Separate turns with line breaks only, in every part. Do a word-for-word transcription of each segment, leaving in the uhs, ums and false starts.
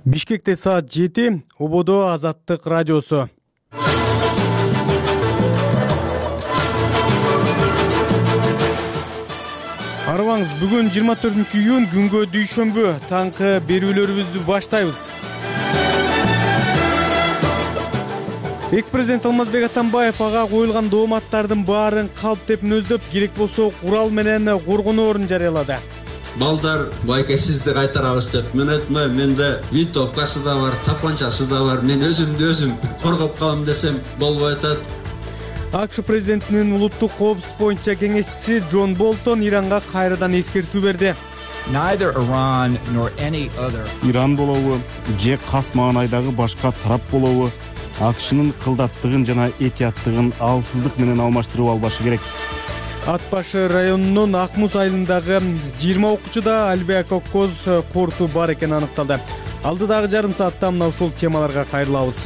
Бишкекте саат жети, Ободо Азаттык радиосу. Арыбаңыз, бүгүн жыйырма төртүнчү июнь күнгө дүйшөмбү, таңкы берүүлөрүбүздү баштайбыз. Экс-президент Алмазбек Атамбаев ага коюлган дооматтардын баарын калп деп нөздөп, керек болсо курал менен коргоноорун жарыялады.
Балдар байкесизди кайтарабыз деп мен айтмайм, менде винтовкасы да бар, тапанчасы да бар, мен өзүмдү өзүм коргоп калам десем болбой атат.
АКШ президентинин улуттук коопсуздук боюнча кеңешчиси Джон Болтон Иранга кайрадан эскертүү берди.
Neither Iran nor any other
Иран болобу же кас маанайдагы башка тарап болобу АКШнын кылдаттыгын жана этияттыгын алсыздык менен алмаштырып албашы керек.
Ат башы районунун Акмуз айылындагы жыйырма окуучуда альбеакоккоз корту бар экени аныкталды. Алдыдагы жарым саатта мына ушул темаларга кайрылабыз.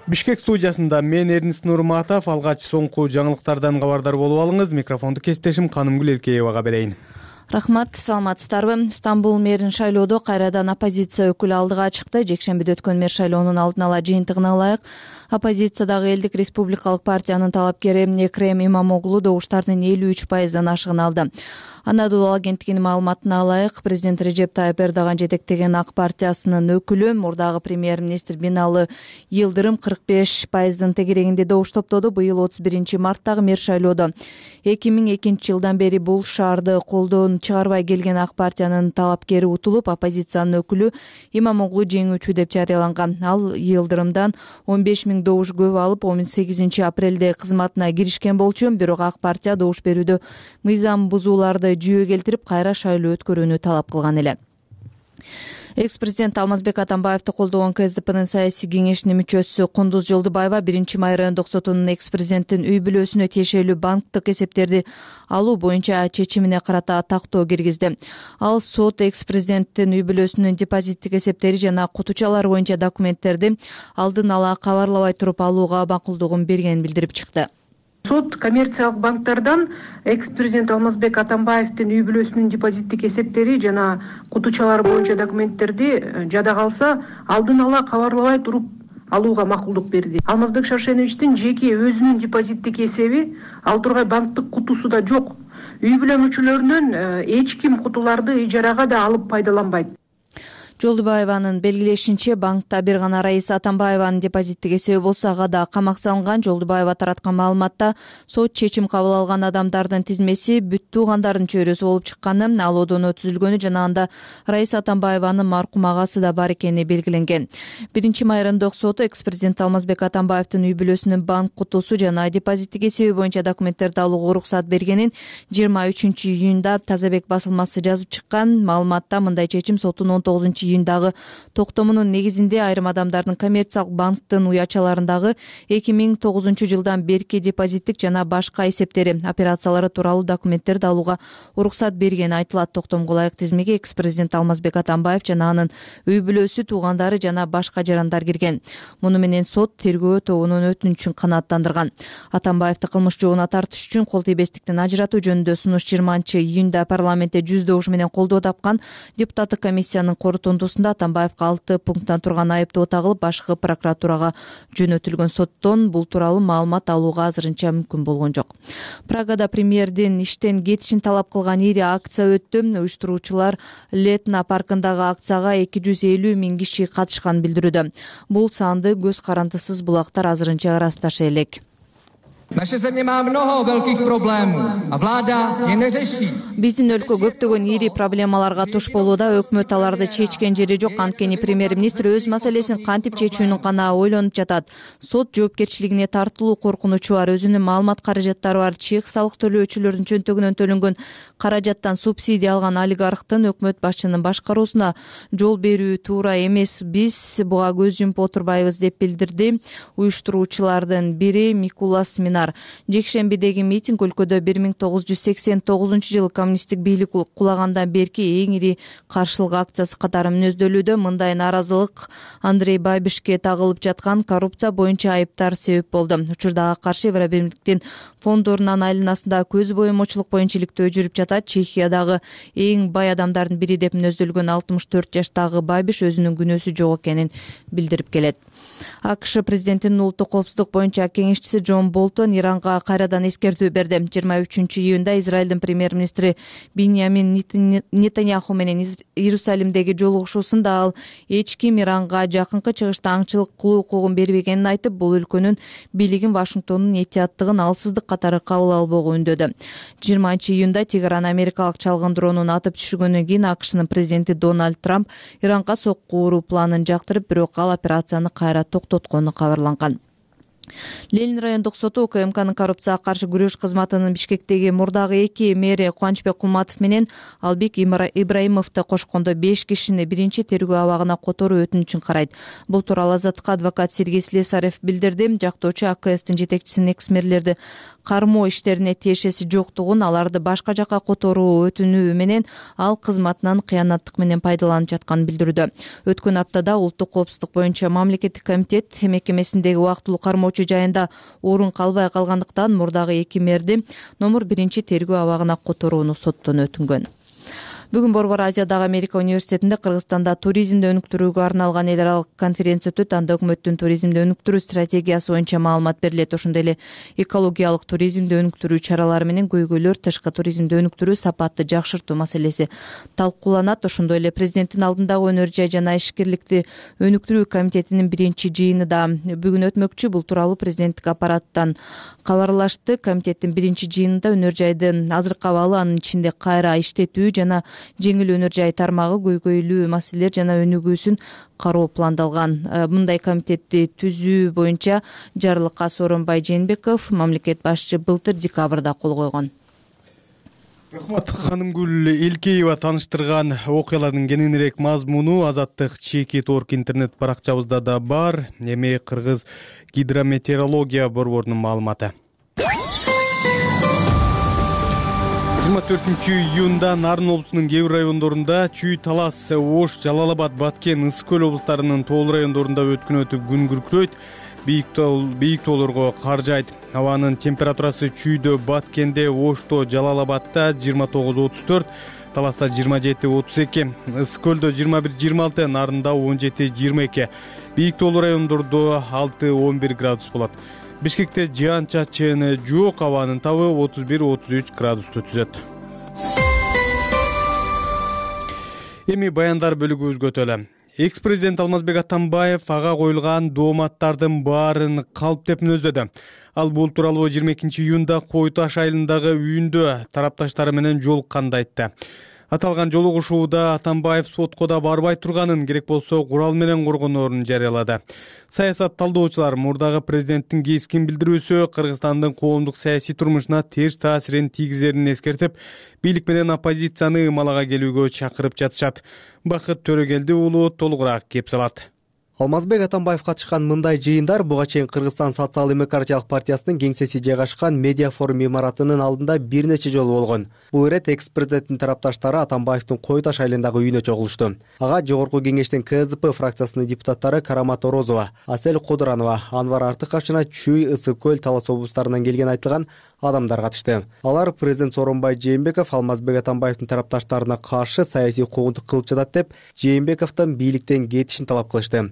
Бишкек студиясында мен Эрнис Нурматов, алгач соңку жаңылыктардан кабардар болуп алыңыз. Микрофонду кесиптешим Канымгүл Элкеевага берейин.
Рахмат, саламатсыздарбы? Стамбул мэрин шайлоодо кайрадан оппозиция өкүлү алдыга чыкты. Жекшембиде өткөн мэр шайлоонун алдын ала жыйынтыгына ылайык оппозициядагы Элдик республикалык партиянын талапкери Экрем Имамоглу добуштардын элүү үч пайыздан ашыгын алды. Анадолу агенттигинин маалыматына ылайык, президент Режеп Тайып Эрдоган жетектеген ак партиясынын өкүлү, мурдагы премьер-министр Бинали Йылдырым кырк беш пайыздын тегерегинде добуш топтоду. Быйыл отуз биринчи марттагы мэр шайлоодо эки миң экинчи жылдан бери бул шаарды колдон чыгарбай келген ак партиянын талапкери утулуп, оппозициянын өкүлү Имамоглу жеңүүчү деп жарыяланган. Ал Йылдырымдан он беш миң добуш көп алып, он сегизинчи апрелде кызматына киришкен болчу. Бирок ак партия добуш берүүдө мыйзам бузууларды жүйө келтирип, кайра шайлоо өткөрүүнү талап кылган эле. Экс-президент Алмазбек Атамбаевди колдогон КСДПнын саясий кеңешинин мүчөсү Кундуз Жолдубаева биринчи май райондук сотунун экс-президенттин үй бүлөсүнө тиешелүү банктык эсептерди алуу боюнча чечимине карата тактоо киргизди. Ал сот экс-президенттин үй бүлөсүнүн депозиттик эсептери жана кутучалар боюнча документтерди алдын ала кабарлабай туруп алууга макулдугун бергенин билдирип чыкты.
Сот коммерциялык банктардан экс-президент Алмазбек Атамбаевдин үй бүлөсүнүн депозиттик эсептери жана кутучалар боюнча документтерди жада калса алдын ала кабарлабай туруп алууга макулдук берди. Алмазбек Шаршеновичтин жеке өзүнүн депозиттик эсеби, ал тургай банктык кутусу да жок. Үй бүлө мүчөлөрүнөн эч ким кутуларды ижарага да алып пайдаланбайт.
Жолдубаеванын белгилешинче, банкта бир гана Раиса Атамбаеванын депозиттик эсеби болсо, ага да камак салынган. Жолдубаева тараткан маалыматта сот чечим кабыл алган адамдардын тизмеси бүт туугандардын чөйрөсү болуп чыкканы, ал одоно түзүлгөнү жана анда Раиса Атамбаеванын маркум агасы да бар экени белгиленген. биринчи май райондук соту экс-президент Алмазбек Атамбаевдин үй бүлөсүнүн банк кутусу жана депозиттик эсеби боюнча документтерди алууга уруксат бергенин жыйырма үчүнчү июнда Тазабек басылмасы жазып чыккан. Маалыматта мындай чечим соттун он тогузунчу июндагы токтомунун негизинде айрым адамдардын коммерциялык банктын уячаларындагы эки миң тогузунчу жылдан берки депозиттик жана башка эсептери, операциялары тууралуу документтерди алууга уруксат бергени айтылат. Токтомго ылайык тизмеге экс-президент Алмазбек Атамбаев жана анын үй бүлөсү, туугандары жана башка жарандар кирген. Муну менен сот тергөө тобунун өтүнүчүн канааттандырган. Атамбаевди кылмыш жообуна тартыш үчүн кол тийбестиктен ажыратуу жөнүндө сунуш жыйырманчы июнда парламентте жүз добуш менен колдоо тапкан. Депутаттык комиссиянын корутундусунда Атамбаевга алты пункттан турган айыптоо тагылып, башкы прокуратурага жөнөтүлгөн. Соттон бул тууралуу маалымат алууга азырынча мүмкүн болгон жок. Прагада премьердин иштен кетишин талап кылган ири акция өттү. Уюштуруучулар Летна паркындагы акцияга эки жүз элүү миң киши катышканын билдирүүдө. Бул санды көз карандысыз булактар азырынча ырасташы элек.
Naše země má mnoho velkých problémů a vláda je neřeší.
Биздин өлкө көптөгөн ири проблемаларга туш болууда, өкмөт аларды чечкен жери жок. Анткени премьер-министр өз маселесин кантип чечүүнү гана ойлонуп жатат. Сот жоопкерчилигине тартылуу коркунучу бар. Өзүнүн маалымат каражаттары бар. Чек салык төлөөчүлөрдүн чөнтөгүнөн төлөнгөн каражаттан субсидия алган олигархтын өкмөт башчынын башкаруусуна жол берүү туура эмес. Биз буга көз жумуп отурбайбыз деп билдирди уюштуруучулардын бири Микулас Минаков. динар. Жекшембидеги митинг өлкөдө бир миң тогуз жүз сексен тогузунчу жылы коммунисттик бийлик кулагандан берки эң ири каршылык акциясы катары мүнөздөлүүдө. Мындай нааразылык Андрей Бабишке тагылып жаткан коррупция боюнча айыптар себеп болду. Учурда ага каршы Евробирликтин фонддорунун айланасында көз боемочулук боюнча иликтөө жүрүп жатат. Чехиядагы эң бай адамдардын бири деп мүнөздөлгөн алтымыш төрт жаштагы Бабиш өзүнүн күнөөсү жок экенин билдирип келет. АКШ президентинин улуттук коопсуздук боюнча кеңешчиси Джон Болтон Иранга кайрадан эскертүү берди. жыйырма үчүнчү июнда Израилдин премьер-министри Биньямин Нетаньяху менен Иерусалимдеги жолугушуусунда ал эч ким Иранга жакынкы чыгышта аңчылык кылуу укугун бербегенин айтып, бул өлкөнүн бийлигин Вашингтондун этияттыгын алсыздык катары кабыл албоого үндөдү. жыйырманчы июнда Тегеран америкалык чалгын дронун атып түшүргөндөн кийин АКШнын президенти Дональд Трамп Иранга сокку уруу планын жактырып, бирок ал операцияны кайра токтоткону кабарланган. Ленин райондук соту УКМКнын коррупцияга каршы күрөш кызматынын Бишкектеги мурдагы эки мэри Кубанычбек Кулматов менен Албек Ибраимовду кошкондо беш кишини биринчи тергөө абагына которуу өтүнүчүн карайт. Бул тууралуу Азаттыкка адвокат Сергей Слесарев билдирди. Жактоочу АКСтин жетекчисинин экс-мэрлерди кармоо иштерине тиешеси жоктугун, аларды башка жакка которуу өтүнүү менен ал кызматынан кыянаттык менен пайдаланып жатканын билдирүүдө. Өткөн аптада улуттук коопсуздук боюнча мамлекеттик комитет мекемесиндеги убактылуу кармоочу жайында орун калбай калгандыктан мурдагы эки мэрди номер биринчи тергөө абагына которууну соттон өтүнгөн. Бүгүн Борбор Азиядагы Америка университетинде Кыргызстанда туризмди өнүктүрүүгө арналган эл аралык конференция өтөт. Анда өкмөттүн туризмди өнүктүрүү стратегиясы боюнча маалымат берилет. Ошондой эле экологиялык туризмди өнүктүрүү чаралары менен көйгөйлөр, тышкы туризмди өнүктүрүү, сапатты жакшыртуу маселеси талкууланат. Ошондой эле президенттин алдындагы өнөр жай жана ишкерликти өнүктүрүү комитетинин биринчи жыйыны да бүгүн өтмөкчү. Бул тууралуу президенттик аппараттан кабарлашты. Комитеттин биринчи жыйынында өнөр жайдын азыркы абалы, анын ичинде кайра иштетүү жана жеңил өнөр жай тармагы, көйгөйлүү маселелер жана өнүгүүсүн кароо пландалган. Мындай комитетти түзүү боюнча жарлыкка Сооронбай Жээнбеков, мамлекет башчы, былтыр декабрда кол койгон.
Рахмат. Ханымгүл Элкеева тааныштырган окуялардын кененирээк мазмуну Азаттык чекит орг интернет баракчабызда да бар. Эми Кыргыз гидрометеорология борборунун маалыматы. жыйырма төртүнчү июнда Нарын облусунун кээ бир райондорунда Чүй, Талас, Ош, Жалал-Абад, Баткен, Ысык көл облустарынын тоол райондорунда өткөн өтүп күн күркүрөйт. Бийик тоолорго кар жайт. Абанын температурасы Чүйдө, Баткенде, Ошто, Жалал-Абадда жыйырма тогуз отуз төрт, Таласта жыйырма жети отуз эки, Ысык көлдө жыйырма бир жыйырма алты, Нарында он жети жыйырма эки. Бийик тоолуу райондордо алты он бир градус болот. Бишкекте жаан чачын жок, абанын табы отуз бир отуз үч градусту түзөт. Эми баяндар бөлүгүбүзгө өтөлү. Экс-президент Алмазбек Атамбаев ага коюлган дооматтардын баарын калп деп мүнөздөдү. Ал бул тууралуу жыйырма экинчи июнда Кой Таш айылындагы үйүндө тарапташтары менен жолукканда айтты. Аталган жолугушууда Атамбаев сотко да барбай турганын, керек болсо курал менен коргоноорун жарыялады. Саясат талдоочулар мурдагы президенттин кескин билдирүүсү Кыргызстандын коомдук саясий турмушуна терс таасирин тийгизерин эскертип, бийлик менен оппозицияны ымалага келүүгө чакырып жатышат. Бакыт Төрөгелди уулу толугураак кеп салат.
Алмазбек Атамбаев катышкан мындай жыйындар буга чейин Кыргызстан социал-демократиялык партиясынын кеңсеси жайгашкан медиа форум имаратынын алдында бир нече жолу болгон. Бул ирет экс-президенттин тарапташтары Атамбаевдин Кой Таш айылындагы үйүнө чогулушту. Ага жогорку кеңештин КСДП фракциясынын депутаттары Карамат Орозова, Асель Кодуранова, Анвар Артыков жана Чүй, Ысык көл, Талас облустарынан келген айтылган адамдар катышты. Алар президент Сооронбай Жээнбеков Алмазбек Атамбаевдин тарапташтарына каршы саясий куугунтук кылып жатат деп Жээнбековдон бийликтен кетишин талап кылышты.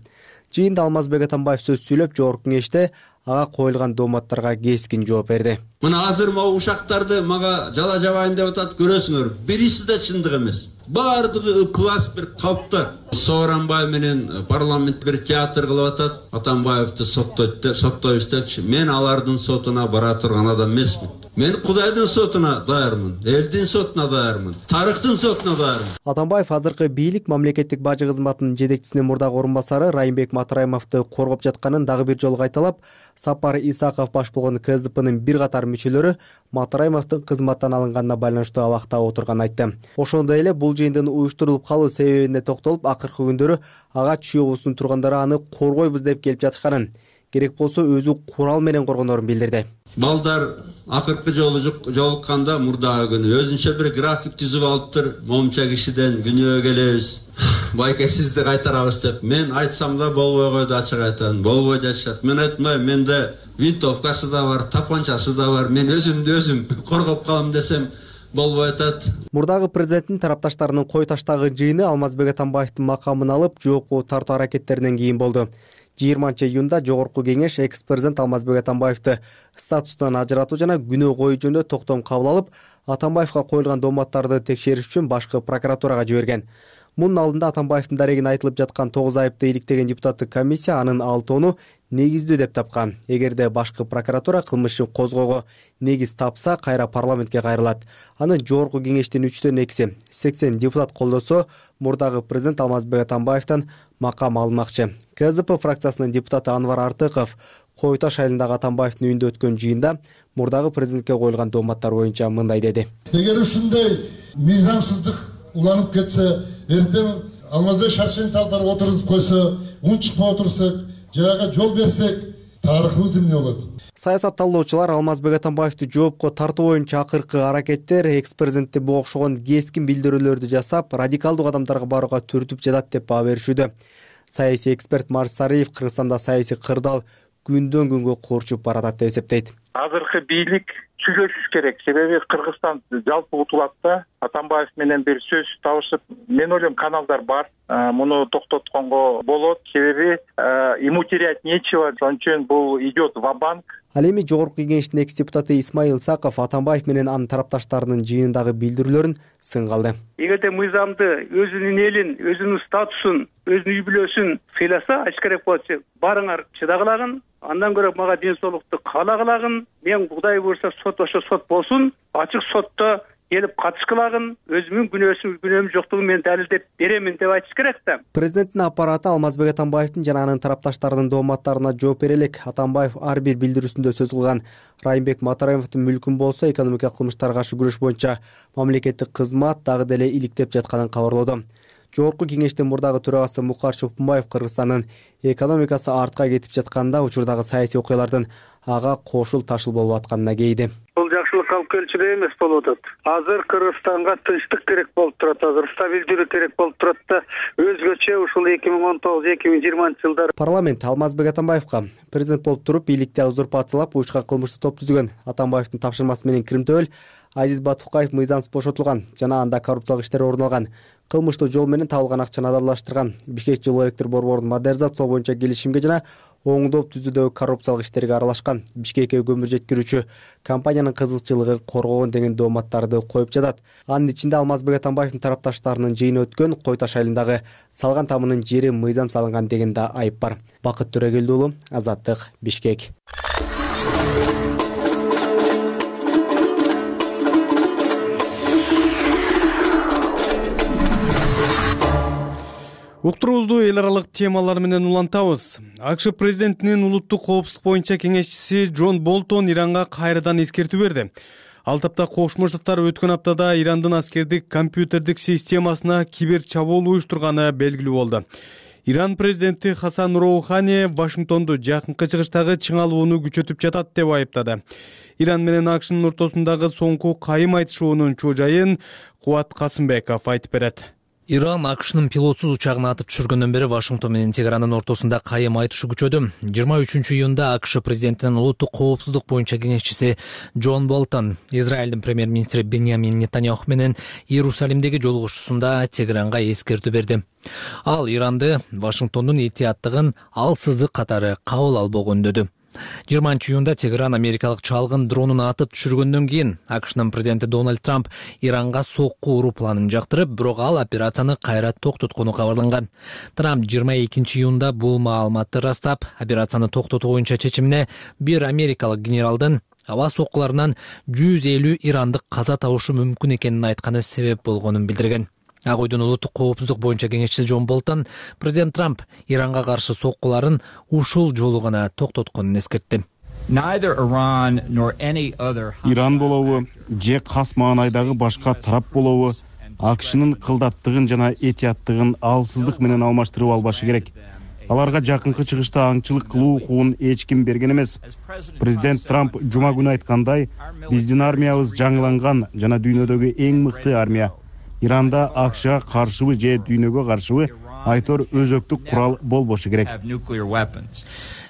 Жыйында Алмазбек Атамбаев сөз сүйлөп, жогорку кеңеште ага коюлган дооматтарга кескин жооп берди.
Мына азыр могу ушактарды мага жала жабайын деп атат, көрөсүңөр. Бириси да чындык эмес. Бардыгы ыплас бир калпта. Сооронбай менен парламент бир театр кылып атат. Атамбаевди соттойт деп, соттойбуз депчи. Мен алардын сотуна бара турган адам эмесмин. Мен Кудайдын сотуна даярмын, элдин сотуна даярмын, тарыхтын сотуна даярмын.
Атамбаев азыркы бийлик мамлекеттик бажы кызматынын жетекчисинин мурдагы орун басары Райымбек Матраимовду коргоп жатканын дагы бир жолу кайталап, Сапар Исаков баш болгон КСДПнын бир катар мүчөлөрү Матраимовдун кызматтан алынганына байланыштуу абакта отурганын айтты. Ошондой эле бул жыйындын уюштурулуп калуу себебине токтолуп, акыркы күндөрү ага Чүй облусунун тургундары аны коргойбуз деп келип жатышканын, керек болсо өзү курал менен коргонорун билдирди.
Балдар акыркы жолу жолукканда мурдагы күнү өзүнчө бир график түзүп алыптыр. Момча кишиден күнөө келебиз. Байке сизди кайтарабыз деп. Мен айтсам да болбой койду, ачык айтам. Болбой жатышат. Мен айтмайм, менде винтовкасы да бар, тапанчасы да бар. Мен өзүмдү өзүм коргоп калам десем болбой атат.
Мурдагы президенттин тарапташтарынын кой таштагы жыйыны Алмазбек Атамбаевдин макамын алып жоопко тартуу аракеттеринен кийин болду. жыйырманчы июнда жогорку кеңеш экс-президент Алмазбек Атамбаевди статустан ажыратуу жана күнөө коюу жөнүндө токтом кабыл алып, Атамбаевга коюлган дооматтарды текшериш үчүн башкы прокуратурага жиберген. Мунун алдында Атамбаевдин дарегине айтылып жаткан тогуз айыпты иликтеген депутаттык комиссия анын алтоону негиздүү деп тапкан. Эгерде башкы прокуратура кылмышын козгоого негиз тапса, кайра парламентке кайрылат. Аны жогорку кеңештин үчтөн экиси, сексен депутат колдосо, мурдагы президент Алмазбек Атамбаевден макам алынмакчы. ка зэ пэ фракциясынын депутаты Анвар Артыков Кой Таш айылындагы Атамбаевдин үйүндө өткөн жыйында мурдагы президентке коюлган дооматтар боюнча мындай деди.
Эгер ушундай мыйзамсыздык уланып кетсе, эртең Алмазбек Шаршентип алып барып отургузуп койсо, уң чыкпай отурсак, жаяга жол берсек, тарыхыбыз эмне болот?
Саясатталуучулар Алмазбек Атамбаевди жоопко тартуу боюнча акыркы аракеттер экс-президентти буга окшогон кескин билдирүүлөрдү жасап, радикалдуу кадамдарга барууга түртүп жатат деп баа беришүүдө. Саясий эксперт Марс Сариев Кыргызстанда саясий кырдаал күндөн күнгө курчуп баратат деп эсептейт.
Азыркы бийлик сүйлөшүш керек. Себеби Кыргызстан жалпы утулат да. Атамбаев менен бир сөз табышып, мен ойлойм каналдар бар. Муну токтотконго болот. Себеби ему терять нечего. Ошон үчүн бул идет ва-банк.
Ал эми жогорку кеңештин экс-депутаты Исмаил Саков Атамбаев менен анын тарапташтарынын жыйынындагы билдирүүлөрүн сынгалды.
Эгерде мыйзамды, өзүнүн элин, өзүнүн статусун, өзүнүн үй бүлөсүн сыйласа, ачык керек болчу. Барыңар чыдагылагын, андан көрө мага ден соолукту каалагылагын, мен Кудай буйрса сот ошо сот болсун, ачык сотто келип катышкылагын, өзүмдүн күнөөсүн күнөөм жоктугун мен далилдеп беремин деп айтыш керек да.
Президенттин аппараты Алмазбек Атамбаевдин жана анын тарапташтарынын дооматтарына жооп бере элек. Атамбаев ар бир билдирүүсүндө сөз кылган Райымбек Матараевдин мүлкүн болсо экономикалык кылмыштарга каршы күрөш боюнча мамлекеттик кызмат дагы деле иликтеп жатканын кабарлоодо. Жогорку кеңештин мурдагы төрагасы Мукар Чопунбаев Кыргызстандын экономикасы артка кетип жатканда учурдагы саясий окуялардын ага кошул ташыл болуп атканына кейди.
Бул жакшылык алып келчү эмес болуп атат. Азыр Кыргызстанга тынчтык керек болуп турат, азыр стабилдүүлүк керек болуп турат да, өзгөчө ушул эки миң он тогуз эки миң жыйырманчы жылдар.
Парламент Алмазбек Атамбаевга президент болуп туруп бийликти узурпациялап уюшкан кылмыштуу топ түзгөн Атамбаевдин тапшырмасы менен Киримтөбөл Азиз Батукаев мыйзамсыз бошотулган жана анда коррупциялык иштер орун алган, кылмыштуу жол менен табылган акчаны адалдаштырган, Бишкек жылуу электр борборун модернизациялоо боюнча келишимге жана оңдоп түзүүдөгү коррупциялык иштерге аралашкан, Бишкекке көмүр жеткирүүчү компаниянын кызыкчылыгын коргогон деген дооматтарды коюп жатат. Анын ичинде Алмазбек Атамбаевдин тарапташтарынын жыйыны өткөн Кой Таш айылындагы салган тамынын жери мыйзам салынган деген да айып бар. Бакыт Төрөгелди уулу, Азаттык, Бишкек.
Уктуруубузду эл аралык темалар менен улантабыз. АКШ президентинин улуттук коопсуздук боюнча кеңешчиси Джон Болтон Иранга кайрадан эскертүү берди. Ал тапта Кошмо Штаттар өткөн аптада Ирандын аскердик компьютердик системасына кибер чабуул уюштурганы белгилүү болду. Иран президенти Хасан Роухани Вашингтонду жакынкы чыгыштагы чыңалууну күчөтүп жатат деп айыптады. Иран менен АКШнын ортосундагы соңку кайым айтышуунун чоо жайын Кубат Касымбеков айтып берет.
Иран АКШнын пилотсуз учагын атып түшүргөндөн бери Вашингтон менен Тегерандын ортосунда кайым айтышы күчөдү. жыйырма үчүнчү июнда АКШ президентинин улуттук коопсуздук боюнча кеңешчиси Джон Болтон Израилдин премьер-министри Беньямин Нетаньяху менен Иерусалимдеги жолугушуусунда Тегеранга эскертүү берди. Ал Иранды Вашингтондун этияттыгын алсыздык катары кабыл албоого үндөдү. жыйырманчы июнда Тегеран америкалык чалгын дронун атып түшүргөндөн кийин АКШнын президенти Дональд Трамп Иранга сокку уруу планын жактырып, бирок ал операцияны кайра токтоткону кабарланган. Трамп жыйырма экинчи июнда бул маалыматты ырастап, операцияны токтотуу боюнча чечимине бир америкалык генералдын аба соккуларынан жүз элүү ирандык каза табышы мүмкүн экенин айтканы себеп болгонун билдирген. Ак Үйдүн улуттук коопсуздук боюнча кеңешчиси Джон Болтон президент Трамп Иранга каршы соккуларын ушул жолу гана токтотконун эскертти.
Иран болобу же Кас маанайдагы башка тарап болобу АКШнын кылдаттыгын жана этияттыгын алсыздык менен алмаштырып албашы керек. аларга жакынкы чыгышта аңчылык кылуу укугун эч ким берген эмес. Президент Трамп жума күнү айткандай, биздин армиябыз жаңыланган жана дүйнөдөгү эң мыкты армия. Иранда АКШга каршыбы же дүйнөгө каршыбы айтор өзөктүк курал болбошу керек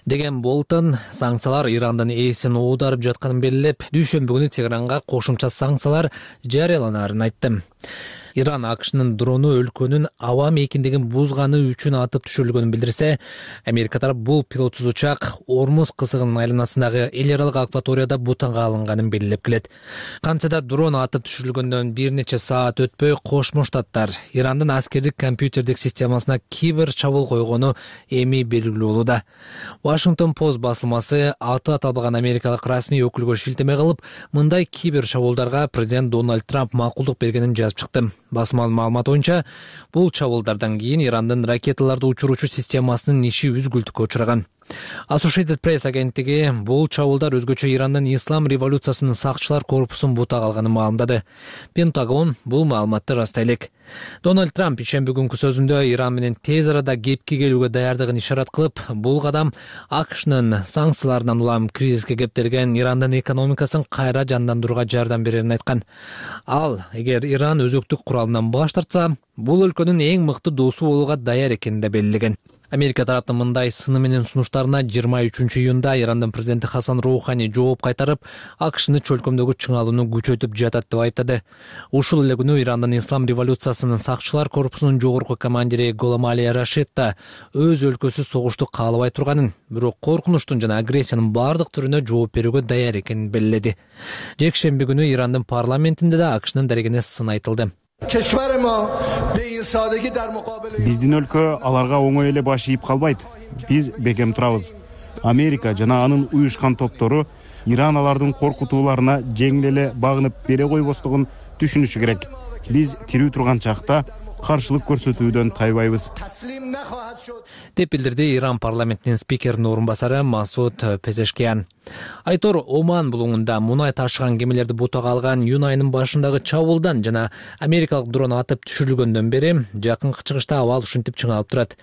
деген Болтон санкциялар Ирандын ээсин оодарып жатканын белгилеп, дүйшөмбү күнү Тегеранга кошумча санкциялар жарыяланарын айтты. Иран АКШнын дрону өлкөнүн аба мейкиндигин бузганы үчүн атып түшүрүлгөнүн билдирсе, Америка тарап бул пилотсуз учак Ормуз кысыгынын айланасындагы эл аралык акваторияда бутанга алынганын белгилеп келет. Кантсе да дрон атып түшүрүлгөндөн бир нече саат өтпөй Кошмо Штаттар Ирандын аскердик компьютердик системасына кибер чабуул койгону эми белгилүү болууда. Washington Post басылмасы аты аталбаган америкалык расмий өкүлгө шилтеме кылып, мындай кибер чабуулдарга президент Дональд Трамп макулдук бергенин жазып чыкты. Басманын маалыматы боюнча, бул чабуулдардан кийин Ирандын ракеталарды учуруучу системасынын иши үзгүлтүккө учураган. Associated Press агенттиги бул чабуулдар өзгөчө Ирандын ислам революциясынын сакчылар корпусун бутак алганын маалымдады. Пентагон бул маалыматты растай элек. Дональд Трамп ишемби күнкү сөзүндө Иран менен тез арада кепке келүүгө даярдыгын ишарат кылып, бул кадам АКШнын санкцияларынан улам кризиске кептелген Ирандын экономикасын кайра жандандырууга жардам берерин айткан. Ал, эгер Иран өзөктүк куралынан баш тартса, бул өлкөнүн эң мыкты досу болууга даяр экенин да белгилеген. Америка тараптын мындай сыны менен сунуштарына жыйырма үчүнчү июнда Ирандын президенти Хасан Роухани жооп кайтарып, АКШны чөлкөмдөгү чыңалууну күчөтүп жатат деп айыптады. Ушул эле күнү Ирандын ислам революциясынын сакчылар корпусунун жогорку командири Голам Али Рашид да өз өлкөсү согушту каалабай турганын, бирок коркунучтун жана агрессиянын бардык түрүнө жооп берүүгө даяр экенин белгиледи. Жекшемби күнү Ирандын парламентинде да АКШнын дарегине сын айтылды.
Биздин өлкө аларга оңой эле баш ийип калбайт. Биз бекем турабыз. Америка жана анын уюшкан топтору Иран алардын коркутууларына жеңил эле багынып бере койбостугун түшүнүшү керек. Биз тирүү турган чакта каршылык көрсөтүүдөн тайбайбыз
деп билдирди Иран парламентинин спикеринин орун басары Масуд Пезешкиян. Айтор Оман булуңунда мунай ташыган кемелерди бутага алган июнь айынын башындагы чабуулдан жана америкалык дрон атып түшүрүлгөндөн бери жакынкы чыгышта абал ушинтип чыңалып турат.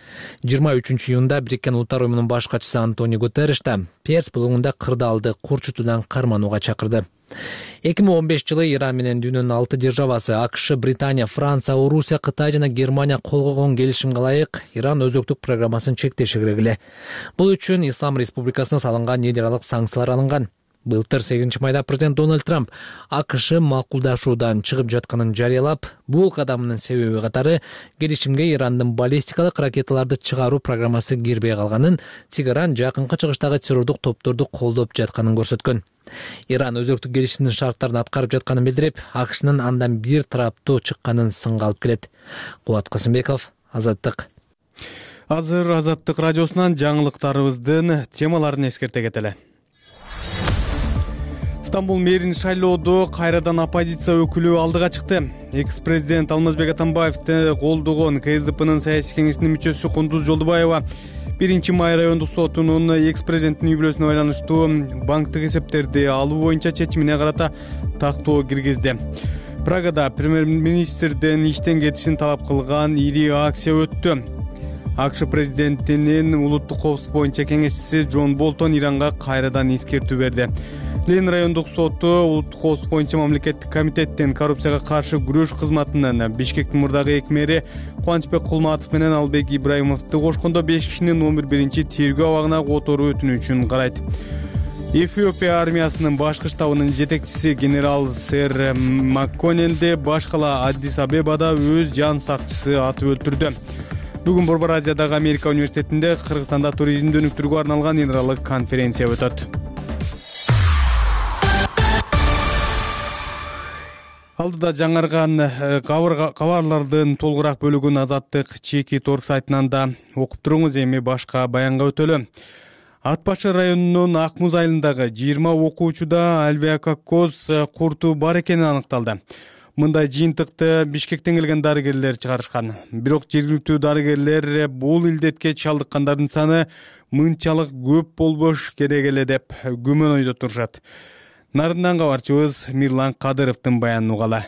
жыйырма үчүнчү июнда Бириккен Улуттар Уюмунун баш катчысы Антонио Гутерриш да Перс булуңунда кырдаалды курчутуудан карманууга чакырды. эки миң он беш жылы Иран менен дүйнөнүн алты державасы АКШ, Британия, Франция, Орусия, Кытай жана Германия кол койгон келишимге ылайык Иран өзөктүк программасын чектеши керек эле. Бул үчүн Ислам Республикасына салынган эл аралык санкциялар алынган. Былтыр сегизинчи майда президент Дональд Трамп АКШ макулдашуудан чыгып жатканын жарыялап, бул кадамынын себеби катары келишимге Ирандын баллистикалык ракеталарды чыгаруу программасы кирбей калганын, Тегеран жакынкы чыгыштагы террордук топторду колдоп жатканын көрсөткөн. Иран өзөктүк келишимдин шарттарын аткарып жатканын билдирип, АКШнын андан бир тараптуу чыкканын сынга алып келет. Кубат Касымбеков, Азаттык.
Азыр Азаттык радиосунан жаңылыктарыбыздын темаларын эскерте кетели. Стамбул мэрин шайлоодо кайрадан оппозиция өкүлү алдыга чыкты. Экс-президент Алмазбек Атамбаевди колдогон КСДПнын саясий кеңешинин мүчөсү Кундуз Жолдубаева биринчи май райондук сотунун экс-президенттин үй бүлөсүнө байланыштуу банктык эсептерди алуу боюнча чечимине карата тактоо киргизди. Прагада премьер-министрдин иштен кетишин талап кылган ири акция өттү. АКШ президентинин улуттук коопсуздук боюнча кеңешчиси Джон Болтон Иранга кайрадан эскертүү берди. Ленин райондук соту улуттук коопсуздук боюнча мамлекеттик комитеттин коррупцияга каршы күрөш кызматынын Бишкектин мурдагы эки мэри Кубанычбек Кулматов менен Албек Ибраимовду кошкондо беш кишинин он биринчи тергөө абагына которуу өтүнүчүн карайт. Эфиопия армиясынын башкы штабынын жетекчиси генерал Сэр Макконенди баш кала Аддис Абебада өз жан сакчысы атып өлтүрдү. Бүгүн Борбор Азиядагы Америка университетинде Кыргызстанда туризмди өнүктүрүүгө арналган эл аралык конференция өтөт. Алдыда жаңарган кабарлардын толугураак бөлүгүн Азаттык Чеки Торг сайтынан да окуп туруңуз. Эми башка баянга өтөлү. Ат башы районунун Ак Муз айылындагы жыйырма окуучуда альвеококкоз курту бар экени аныкталды. Мындай жыйынтыкты Бишкектен келген дарыгерлер чыгарышкан. Бирок жергиликтүү дарыгерлер бул илдетке чалдыккандардын саны мынчалык көп болбош керек эле деп күмөн ойдо турушат. Нарындан кабарчыбыз Мирлан Кадыровдун баянын угалы.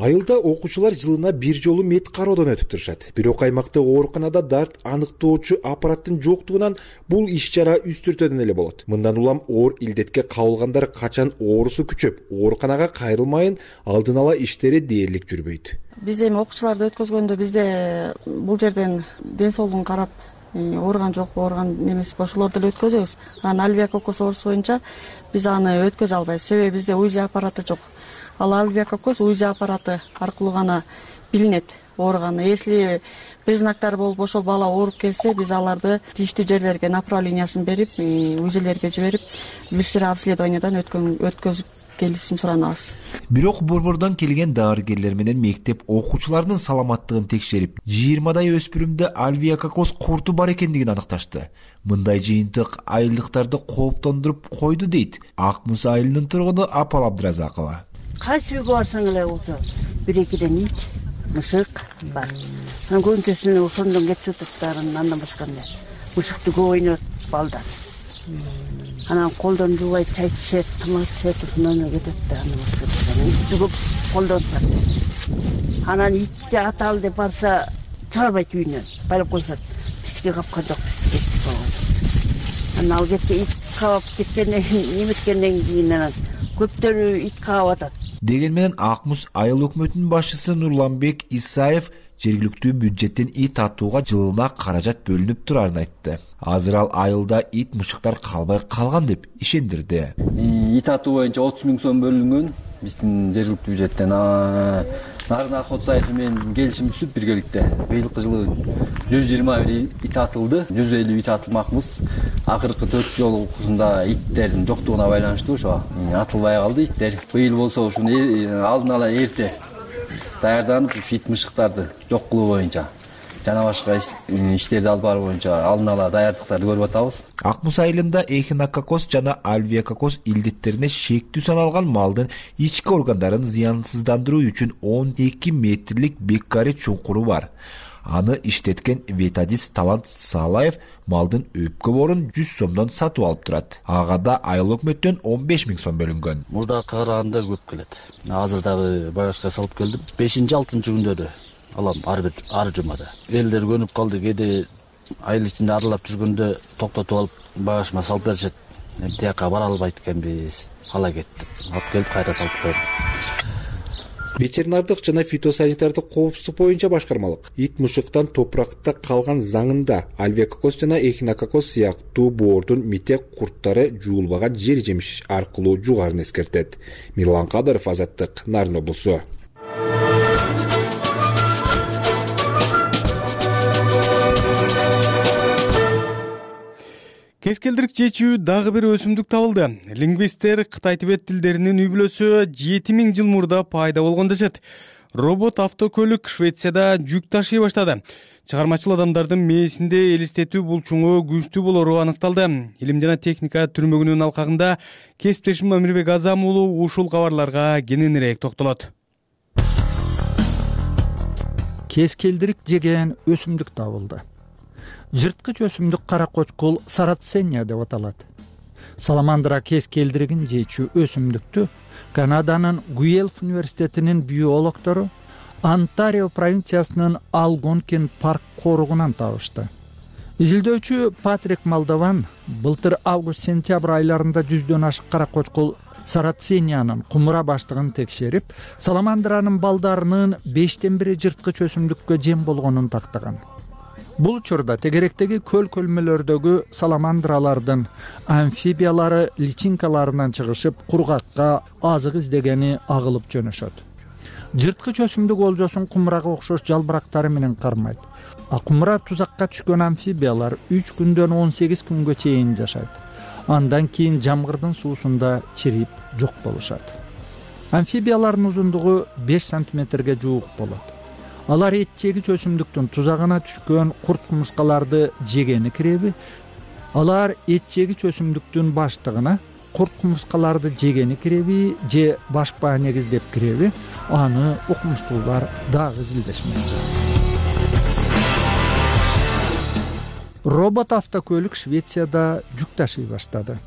Айылда окуучулар жылына бир жолу мед кароодон өтүп турушат. Бирок аймактагы ооруканада дарт аныктоочу аппараттын жоктугунан бул иш чара үстүртөдөн эле болот. Мындан улам оор илдетке кабылгандар качан оорусу күчөп, ооруканага кайрылмайын алдын ала иштери дээрлик жүрбөйт.
Биз эми окуучуларды өткөзгөндө бизде бул жерден ден соолугун карап, ооруган жокпу, ооруган немеси ошолорду эле өткөзөбүз. Анан альвеококкоз оорусу боюнча биз аны өткөзө албайбыз, себеби бизде УЗИ аппараты жок. Ал альвеококкоз УЗИ аппараты аркылуу гана билинет ооруганы. Если признактары болуп ошол бала ооруп келсе, биз аларды тийиштүү жерлерге направлениясын берип, УЗИлерге жиберип, бир сыйра обследованиядан өткөзүп келишин суранабыз.
Бирок борбордон келген дарыгерлер менен мектеп окуучуларынын саламаттыгын текшерип, жыйырмадай өспүрүмдө альвеококкоз курту бар экендигин аныкташты. Мындай жыйынтык айылдыктарды кооптондуруп койду дейт Акмус айылынын тургуну Апал Абдыразакова.
Кайсы үйгө барсаң эле болсо бир экиден ит, мышык бар. Анан көбүнчөсүнө ошондон кетип атат, андан башка эмне. Мышыкты көп ойнойт балдар. Анан колдон жуубай чай ичет, тамак ичет, ошондон эле кетет да. Итти көп колдонушат. Анан итти аталы деп барса чыгарбайт үйүнөн, байлап койсот. Бизге капка жок, бизге болгон. Анан ал кетке ит кабап кеткенден кийин, неметкенден кийин анан көптөрү ит каап атат.
Деген менен Акмус айыл өкмөтүнүн башчысы Нурланбек Исаев жергиликтүү бюджеттен ит атууга жылына каражат бөлүнүп турарын айтты. Азыр ал айылда ит мышыктар калбай калган деп ишендирди.
Ит атуу боюнча отуз миң сом бөлүнгөн биздин жергиликтүү бюджеттен. Нарын Акот сайфы менен келишим түзүп биргеликте быйылкы жылы жүз жыйырма бир ит атылды, жүз элүү ит атылмакмыз. Акыркы төрт жолусунда иттердин жоктугуна байланыштуу ошо атылбай калды иттер. Быйыл болсо ушуну алдын ала эрте даярданып, ит мышыктарды жок кылуу боюнча жана башка иштерди алып баруу боюнча алдын ала даярдыктарды көрүп атабыз.
Акмус айылында эхинококкоз жана альвеококкоз илдеттерине шектүү саналган малдын ички органдарын зыянсыздандыруу үчүн он эки метрлик беккари чуңкуру бар. Аны иштеткен ветадист Талант Салаев малдын өпкө борун жүз сомдон сатып алып турат. Ага да айыл өкмөттөн он беш миң сом бөлүнгөн.
Мурда караганда көп келет. Азыр дагы багажга салып келдим. бешинчи алтынчы күндөрү алам ар бир ар жумада. Элдер көнүп калды, кээде айыл ичинде аралап жүргөндө токтотуп алып багажыма салып беришет. Эми тияка бара албайт экенбиз. Ала кеттик. Алып келип кайра салып койдум.
Ветеринардык жана фитосанитардык коопсуздук боюнча башкармалык ит мышыктан топуракта калган заңында альвеококкоз жана эхинококкоз сыяктуу боордун митек курттары жуулбаган жер жемиш аркылуу жугарын эскертет. Мирлан Кадыров, Азаттык, Нарын облусу.
Кескелдирик чечүү дагы бир өсүмдүк табылды. Лингвисттер Кытай тибет тилдеринин үй бүлөсү жети миң жыл мурда пайда болгон дешет. Робот автокөлүк Швецияда жүк ташый баштады. Чыгармачыл адамдардын мээсинде элестетүү булчуңу күчтүү болору аныкталды. Илим жана техника түрмөгүнүн алкагында кесиптешим Амирбек Азам уулу ушул кабарларга кененирээк токтолот.
Кескелдирик жеген өсүмдүк табылды. Жырткыч өсүмдүк каракочкул сарацения деп аталат. Саламандра кескелдиригин жечүү өсүмдүктү Канаданын Гуэлф университетинин биологтору Онтарио провинциясынын Алгонкин парк коругунан табышты. Изилдөөчү Патрик Малдован былтыр август-сентябрь айларында жүздөн ашык каракочкул сарацениянын кумура баштыгын текшерип, саламандранын балдарынын бештен бири жырткыч өсүмдүккө жем болгонун тактаган. Бул учурда тегеректеги көл көлмөлөрдөгү саламандралардын амфибиялары личинкаларынан чыгышып, кургакка азык издегени агылып жөнөшөт. Жырткыч өсүмдүк олжосун кумурага окшош жалбырактары менен кармайт. А кумура тузакка түшкөн амфибиялар үч күндөн он сегиз күнгө чейин жашайт. Андан кийин жамгырдын суусунда чирип жок болушат. Амфибиялардын узундугу беш сантиметрге жуук болот. Алар эт жегич өсүмдүктүн тузагына түшкөн курт кумурскаларды жегени киреби? Алар эт жегич өсүмдүктүн баштыгына курт кумурскаларды жегени киреби же башпа негиздеп киреби? Аны окумуштуулар дагы изилдешмекчи. Робот автокөлүк Швецияда жүк ташый баштады.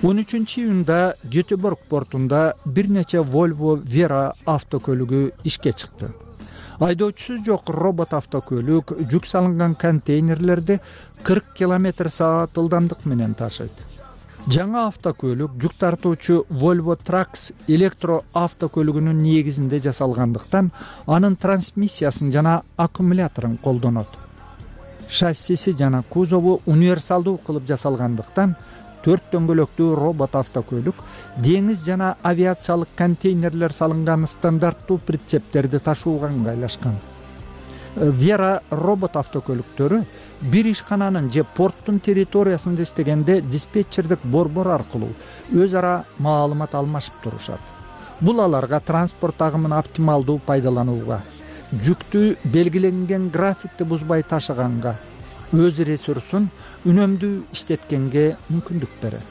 он үчүнчү июнда Гетеборг портунда бир нече Volvo Vera автокөлүгү ишке чыкты. Айдоочусу жок робот автокөлүк жүк салынган контейнерлерди кырк километр саат ылдамдык менен ташыйт. Жаңа автокөлүк жүк тартуучу Volvo Trucks электро автокөлүгүнүн негизинде жасалгандыктан анын трансмиссиясын жана аккумуляторун колдонот. Шассиси жана кузову универсалдуу кылып жасалгандыктан төрт дөңгөлөктүү робот автокөлүк деңиз жана авиациялык контейнерлер салынган стандарттуу прицептерди ташууга ыңгайлашкан. Vera робот автокөлүктөрү бир ишкананын же порттун территориясында иштегенде диспетчердик борбор аркылуу өз ара маалымат алмашып турушат. Бул аларга транспорт агымын оптималдуу пайдаланууга, жүктү белгиленген графикти бузбай ташыганга, өз ресурсун үнөмдүү иштеткенге мүмкүндүк берет.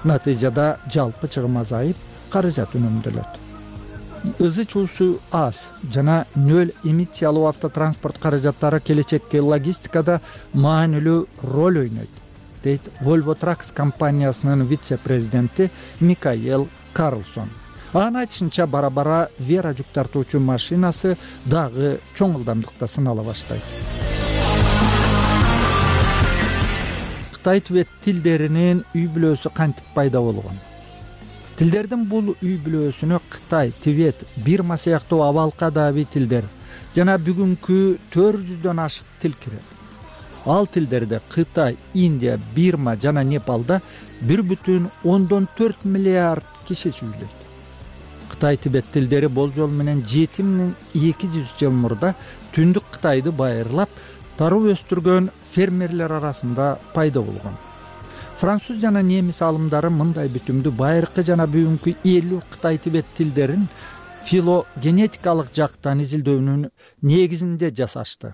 Натыйжада жалпы чыгым азайып, каражат үнөмдөлөт. Ызы чуусу аз жана нөл эмиссиялуу автотранспорт каражаттары келечекке логистикада маанилүү роль ойнойт, дейт Volvo Trucks компаниясынын вице-президенти Микаэл Карлсон. Анын айтышынча, бара-бара Vera жүк тартуучу машинасы дагы чоң ылдамдыкта сынала баштайт. Кытай тибет тилдеринин үй бүлөсү кантип пайда болгон? Тилдердин бул үй бүлөсүнө Кытай, Тибет, Бирма сыяктуу абалка даби тилдер жана бүгүнкү төрт жүздөн ашык тил кирет. Ал тилдерде Кытай, Индия, Бирма жана Непалда бир бүтүн ондон төрт миллиард киши сүйлөйт. Кытай Тибет тилдери болжол менен жети миң эки жүз жыл мурда түндүк Кытайды байырлап, таруу өстүргөн фермерлер арасында пайда болгон. Француз жана немис алымдары мындай бүтүмдү байыркы жана бүгүнкү элүү Кытай Тибет тилдерин филогенетикалык жактан изилдөөнүн негизинде жасашты.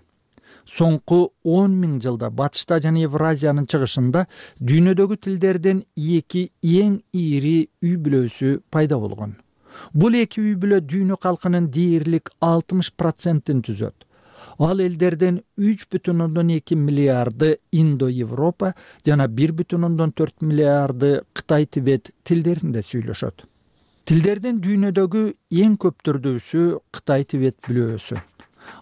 Соңку он миң жылда батышта жана Евразиянын чыгышында дүйнөдөгү тилдердин эки эң ири үй бүлөсү пайда болгон. Бул эки үй бүлө дүйнө калкынын дээрлик алтымыш процентин түзөт. Ал элдерден үч бүтүн ондон эки миллиарды Индо-Европа жана бир бүтүн ондон төрт миллиарды Кытай-Тибет тилдеринде сүйлөшөт. Тилдердин дүйнөдөгү эң көп түрдүүсү Кытай-Тибет бүлөөсү.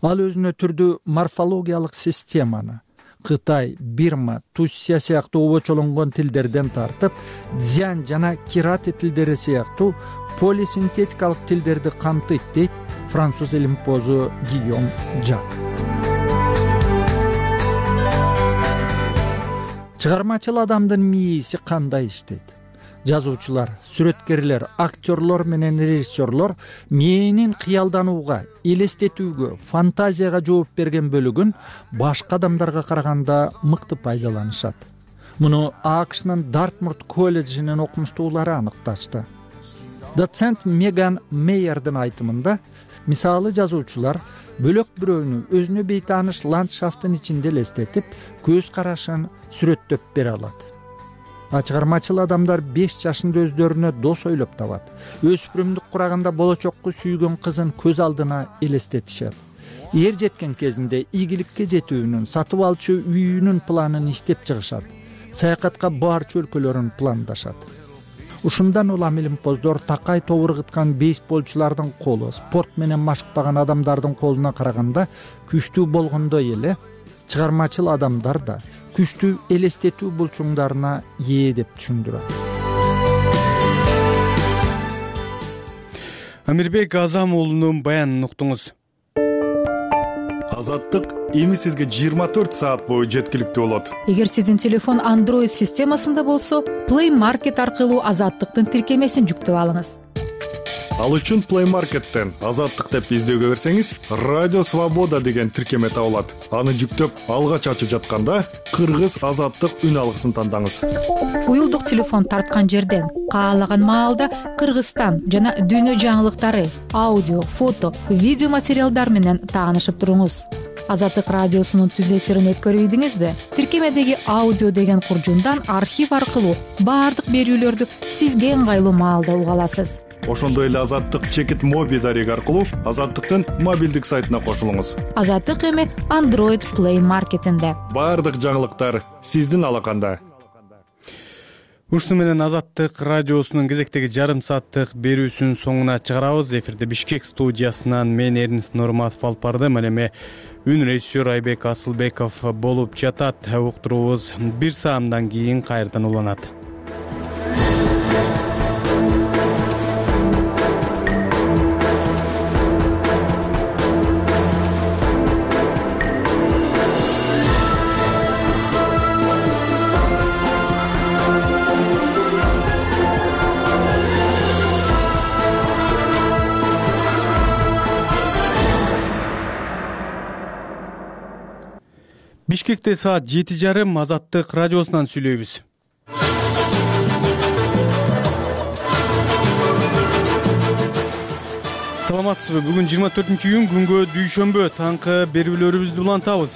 Ал өзүнө түрдүү морфологиялык системаны Кытай, Бирма, Туссия сыяктуу обочолонгон тилдерден тартып, Дзян жана Кирати тилдери сыяктуу полисинтетикалык тилдерди камтыйт, дейт француз илимпозу Гийом Жак. Чыгармачыл адамдын мээси кандай иштейт? Жазуучулар, сүрөткерлер, актерлор менен режиссерлор мээнин кыялданууга, элестетүүгө, фантазияга жооп берген бөлүгүн башка адамдарга караганда мыкты пайдаланышат. Муну АКШнын Дартмурт колледжинин окумуштуулары аныкташты. Доцент Меган Мейердин айтымында, мисалы жазуучулар бөлөк бирөөнү өзүнө бейтааныш ландшафтын ичинде элестетип, көз карашын сүрөттөп бере алат. Чыгармачыл адамдар беш жашында өздөрүнө дос ойлоп табат. Өспүрүмдүк кураганда болочокку сүйгөн кызын көз алдына элестетишет. Эр жеткен кезинде ийгиликке жетүүнүн, сатып алчу үйүнүн планын иштеп чыгышат. Саякатка барчу өлкөлөрүн пландашат. Ушундан улам илимпоздор такай тобур кыткан бейсболчулардын колу, спорт менен машыкпаган адамдардын колуна караганда күчтүү болгондой эле, чыгармачыл адамдар да күчтүү элестетүү булчуңдарына ээ деп түшүндүрөт.
Амирбек Азам уулунун баянын уктуңуз.
Азаттык эми сизге жыйырма төрт саат бою жеткиликтүү болот.
Эгер сиздин телефон Android системасында болсо, Play Market аркылуу Азаттыктын тиркемесин жүктөп алыңыз.
Ал үчүн Play Market'тен Азаттык деп издөөгө берсеңиз, Радио Свобода деген тиркеме табылат. Аны жүктөп, алгач ачып жатканда Кыргыз Азаттык үн алгысын тандаңыз.
Уюлдук телефон тарткан жерден каалаган маалда Кыргызстан жана дүйнө жаңылыктары, аудио, фото, видео материалдар менен таанышып туруңуз. Азаттык радиосунун түз эфирин өткөрүбүдүңүзбү? Тиркемедеги аудио деген куржундан архив аркылуу баардык берүүлөрдү сизге ыңгайлуу маалда уга аласыз.
Ошондой эле Азаттык чекит моби дареги аркылуу Азаттыктын мобилдик сайтына кошулуңуз.
Азаттык эми Android Play Market'инде.
Баардык жаңылыктар сиздин алаканда.
Ушуну менен Азаттык радиосунун кезектеги жарым сааттык берүүсүнүн соңуна чыгарабыз. Эфирде Бишкек студиясынан мен Эрнис Нурматов алып бардым. Ал эми үн режиссер Айбек Асылбеков болуп жатат. Уктуруубуз бир саамдан кийин кайрадан уланат. Бишкекте саат жети жарым. Азаттык радиосунан сүйлөйбүз. Саламатсызбы? Бүгүн жыйырма төртүнчү июнь күнгө дүйшөмбү. Таңкы берүүлөрүбүздү улантабыз.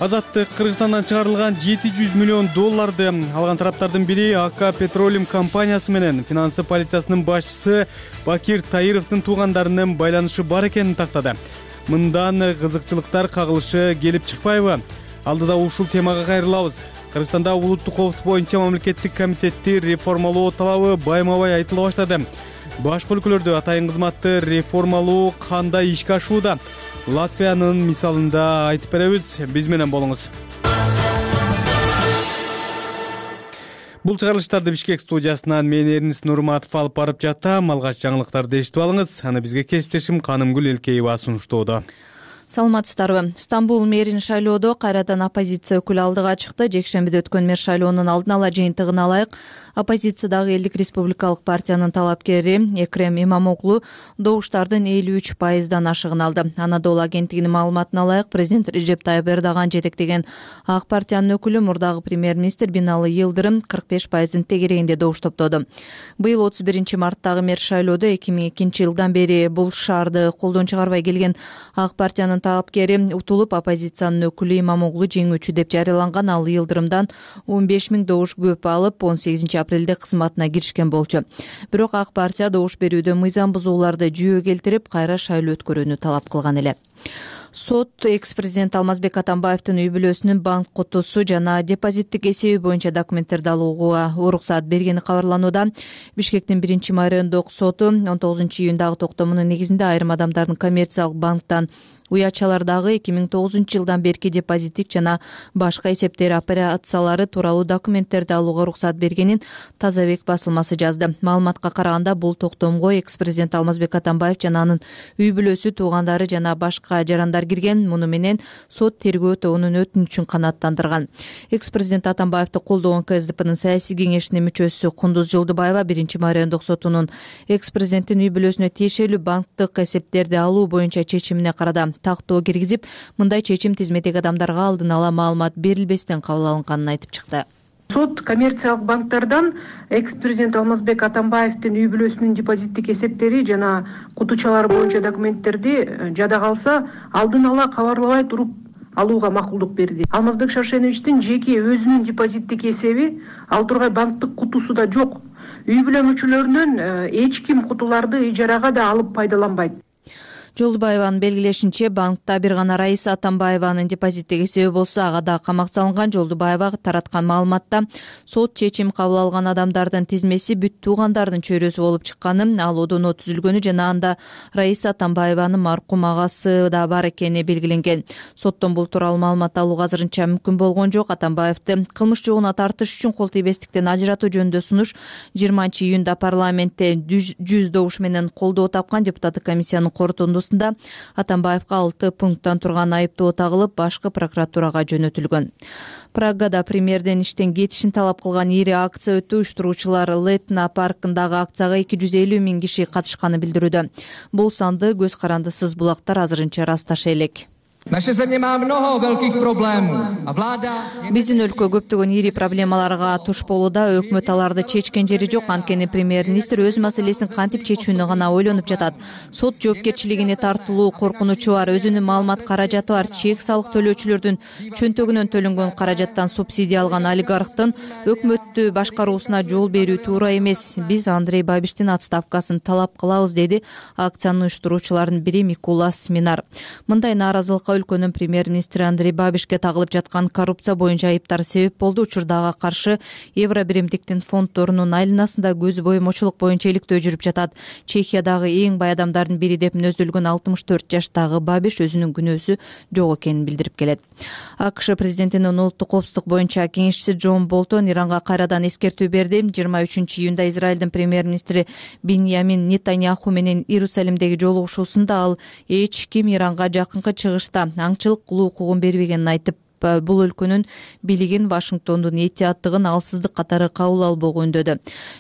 Азаттык Кыргызстандан чыгарылган жети жүз миллион долларды алган тараптардын бири АК Петролиум компаниясы менен финансы полициясынын башчысы Бакир Таировдун туугандарынын байланышы бар экенин тактады. Мындан кызыкчылыктар кагылышы келип чыкпайбы? Алдыда ушул темага кайрылабыз. Кыргызстанда улуттук коопсуздук боюнча мамлекеттик комитетти реформалоо талабы байма-бай айтыла баштады. Башка өлкөлөрдө атайын кызматты реформалоо кандай ишке ашууда? Латвиянын мисалында айтып беребиз. Биз менен болуңуз. Бул чыгарылыштарды Бишкек студиясынан мен Эрнис Нурматов алып барып жатам. Алгач жаңылыктарды эшитип алыңыз. Аны бизге кесиптешим Канымгүл Элкеева сунуштоодо.
Саламатсыздарбы? Стамбул мэрин шайлоодо кайрадан оппозиция өкүлү алдыга чыкты. Жекшембиде өткөн мэр шайлоонун алдын ала жыйынтыгына ылайык оппозициядагы Элдик республикалык партиянын талапкери Экрем Имамоглу добуштардын элүү үч пайыздан ашыгын алды. Анадолу агенттигинин маалыматына ылайык президент Режеп Тайып Эрдоган жетектеген ак партиянын өкүлү мурдагы премьер-министр Бинали Йылдырым кырк беш пайыздын тегерегинде добуш топтоду. Быйыл отуз биринчи марттагы мэр шайлоодо эки миң экинчи жылдан бери бул шаарды колдон чыгарбай келген ак партиянын талапкери утулуп, оппозициянын өкүлү Имамоглу жеңүүчү деп жарыяланган. Ал Йылдырымдан он беш миң добуш көп алып, он сегизинчи апрелде кызматына киришкен болчу. Бирок ак партия добуш берүүдө мыйзам бузууларды жүйө келтирип, кайра шайлоо өткөрүүнү талап кылган эле. Сот экс-президент Алмазбек Атамбаевдин үй бүлөсүнүн банк кутусу жана депозиттик эсеби боюнча документтерди алууга уруксат бергени кабарланууда. Бишкектин биринчи райондук соту он тогузунчу июндагы токтомунун негизинде айрым адамдардын коммерциялык банктан уячалардагы эки миң тогузунчу жылдан берки депозиттик жана башка эсептер операциялары тууралуу документтерди алууга уруксат бергенин Тазабек басылмасы жазды. Маалыматка караганда, бул токтомго экс-президент Алмазбек Атамбаев жана анын үй бүлөсү, туугандары жана башка жарандар кирген. Муну менен сот тергөө тобунун өтүнүчүн канааттандырган. Экс-президент Атамбаевди колдогон КСДПнын саясий кеңешинин мүчөсү Кундуз Жолдубаева биринчи райондук сотунун экс-президенттин үй бүлөсүнө тиешелүү банктык эсептерди алуу боюнча чечимине карата тактоо киргизип, мындай чечим тизмедеги адамдарга алдын ала маалымат берилбестен кабыл алынганын айтып чыкты.
Сот коммерциялык банктардан экс-президент Алмазбек Атамбаевдин үй бүлөсүнүн депозиттик эсептери жана кутучалары боюнча документтерди жада калса алдын ала кабарлабай туруп алууга макулдук берди. Алмазбек Шаршеновичтин жеке өзүнүн депозиттик эсеби, ал тургай банктык кутусу да жок. Үй бүлө мүчөлөрүнөн эч ким кутуларды ижарага да алып пайдаланбайт.
Жолдубаеванын белгилешинче, банкта бир гана Раиса Атамбаеванын депозиттик эсеби болсо, ага да камак салынган. Жолдубаева тараткан маалыматта сот чечим кабыл алган адамдардын тизмеси бүт туугандардын чөйрөсү болуп чыкканын, ал одоно түзүлгөнү жана анда Раиса Атамбаеванын маркум агасы да бар экени белгиленген. Соттон бул тууралуу маалымат алуу азырынча мүмкүн болгон жок. Атамбаевди кылмыш жолуна тартыш үчүн кол тийбестиктен ажыратуу жөнүндө сунуш жыйырманчы июнда парламентте жүз добуш менен колдоо тапкан. Депутаттык комиссиянын корутундусу Атамбаевга алты пункттан турган айыптоо тагылып, башкы прокуратурага жөнөтүлгөн. Прагада премьерден иштен кетишин талап кылган ири акция өтүп, уюштуруучулар Летна паркындагы акцияга эки жүз элүү миң киши катышканын билдирүүдө. Бул санды көз карандысыз булактар азырынча ырасташа элек. Биздин өлкө көптөгөн ири проблемаларга туш болууда. Өкмөт аларды чечкен жери жок. Анткени премьер-министр өз маселесин кантип чечүүнү гана ойлонуп жатат. Сот жоопкерчилигине тартылуу коркунучу бар. Өзүнүн маалымат каражаты бар. Чек салык төлөөчүлөрдүн чөнтөгүнөн төлөнгөн каражаттан субсидия алган олигархтын өкмөттү башкаруусуна жол берүү туура эмес. Биз Андрей Бабиштин отставкасын талап кылабыз, деди акциянын уюштуруучуларынын бири Микула Сминар. Мындай нааразылыкка өлкөнүн премьер-министри Андрей Бабишке тагылып жаткан коррупция боюнча айыптар себеп болду. Учурда ага каршы евро биримдиктин фонддорунун айланасында көз боемочулук боюнча иликтөө жүрүп жатат. Чехиядагы эң бай адамдардын бири деп мүнөздөлгөн алтымыш төрт жаштагы Бабиш өзүнүн күнөөсү жок экенин билдирип келет. АКШ президентинин улуттук коопсуздук боюнча кеңешчиси Джон Болтон Иранга кайрадан эскертүү берди. жыйырма үчүнчү июнда Израилдин премьер-министри Биньямин Нетаньяху менен Иерусалимдеги жолугушуусунда ал эч ким Иранга жакынкы чыгышта аңчылык кылуу укугун бербегенин айтып, бул өлкөнүн бийлигин Вашингтондун этияттыгын алсыздык катары кабыл албоого үндөдү.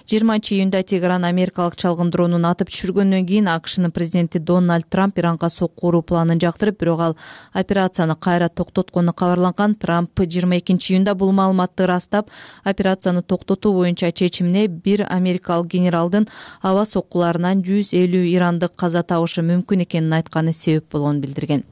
жыйырманчы июнда Тегеран америкалык чалгын дронун атып түшүргөндөн кийин АКШнын президенти Дональд Трамп Иранга сокку уруу планын жактырып, бирок ал операцияны кайра токтоткону кабарланган. Трамп жыйырма экинчи июнда бул маалыматты ырастап, операцияны токтотуу боюнча чечимине бир америкалык генералдын аба соккуларынан жүз элүү ирандык каза табышы мүмкүн экенин айтканы себеп болгонун билдирген.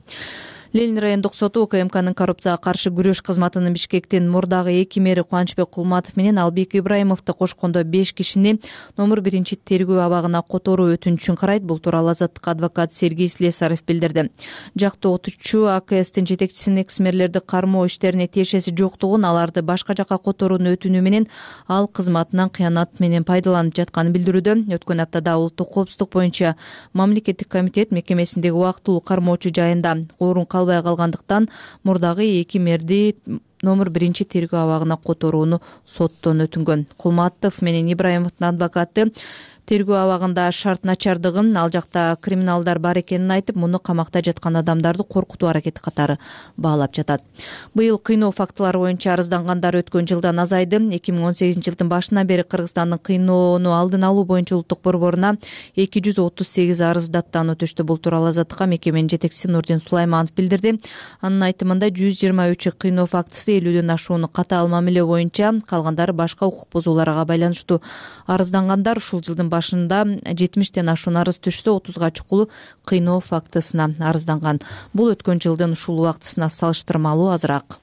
Ленин райондук соту УКМКнын коррупцияга каршы күрөш кызматынын Бишкектин мурдагы эки мэри Кубанычбек Кулматов менен Албек Ибраимовду кошкондо беш кишини номер биринчи тергөө абагына которуу өтүнүчүн карайт. Бул тууралуу Азаттык адвокат Сергей Слесарев билдирди. Жактоотуучу АКСтин жетекчисинин экс-мэрлерди кармоо иштерине тиешеси жоктугун, аларды башка жакка которууну өтүнүү менен ал кызматынан кыянат менен пайдаланып жатканын билдирүүдө. Өткөн аптада улуттук коопсуздук боюнча мамлекеттик комитет мекемесиндеги убактылуу кармоочу жайында орун калбай калгандыктан мурдагы эки мэрди номер биринчи тергөө абагына которууну соттон өтүнгөн. Кулматов менен Ибраимовдун адвокаты тергөө абагында шарт начардыгын, ал жакта криминалдар бар экенин айтып, муну камакта жаткан адамдарды коркутуу аракети катары баалап жатат. Быйыл кыйноо фактылары боюнча арыздангандар өткөн жылдан азайды. эки миң он сегизинчи жылдын башынан бери Кыргызстандын кыйноону алдын алуу боюнча улуттук борборуна эки жүз отуз сегиз арыз даттануу түштү. Бул тууралуу Азаттыкка мекеменин жетекчиси Нурдин Сулайманов билдирди. Анын айтымында жүз жыйырма үчү кыйноо фактысы элүүдөн ашууну катаал мамиле боюнча, калгандары башка укук бузууларга байланыштуу. Арыздангандар ушул жылдын башында жетимиштен ашуун арыз түшсө, отузга чукул кыйноо фактысына арызданган. Бул өткөн жылдын ушул убактысына салыштырмалуу азыраак.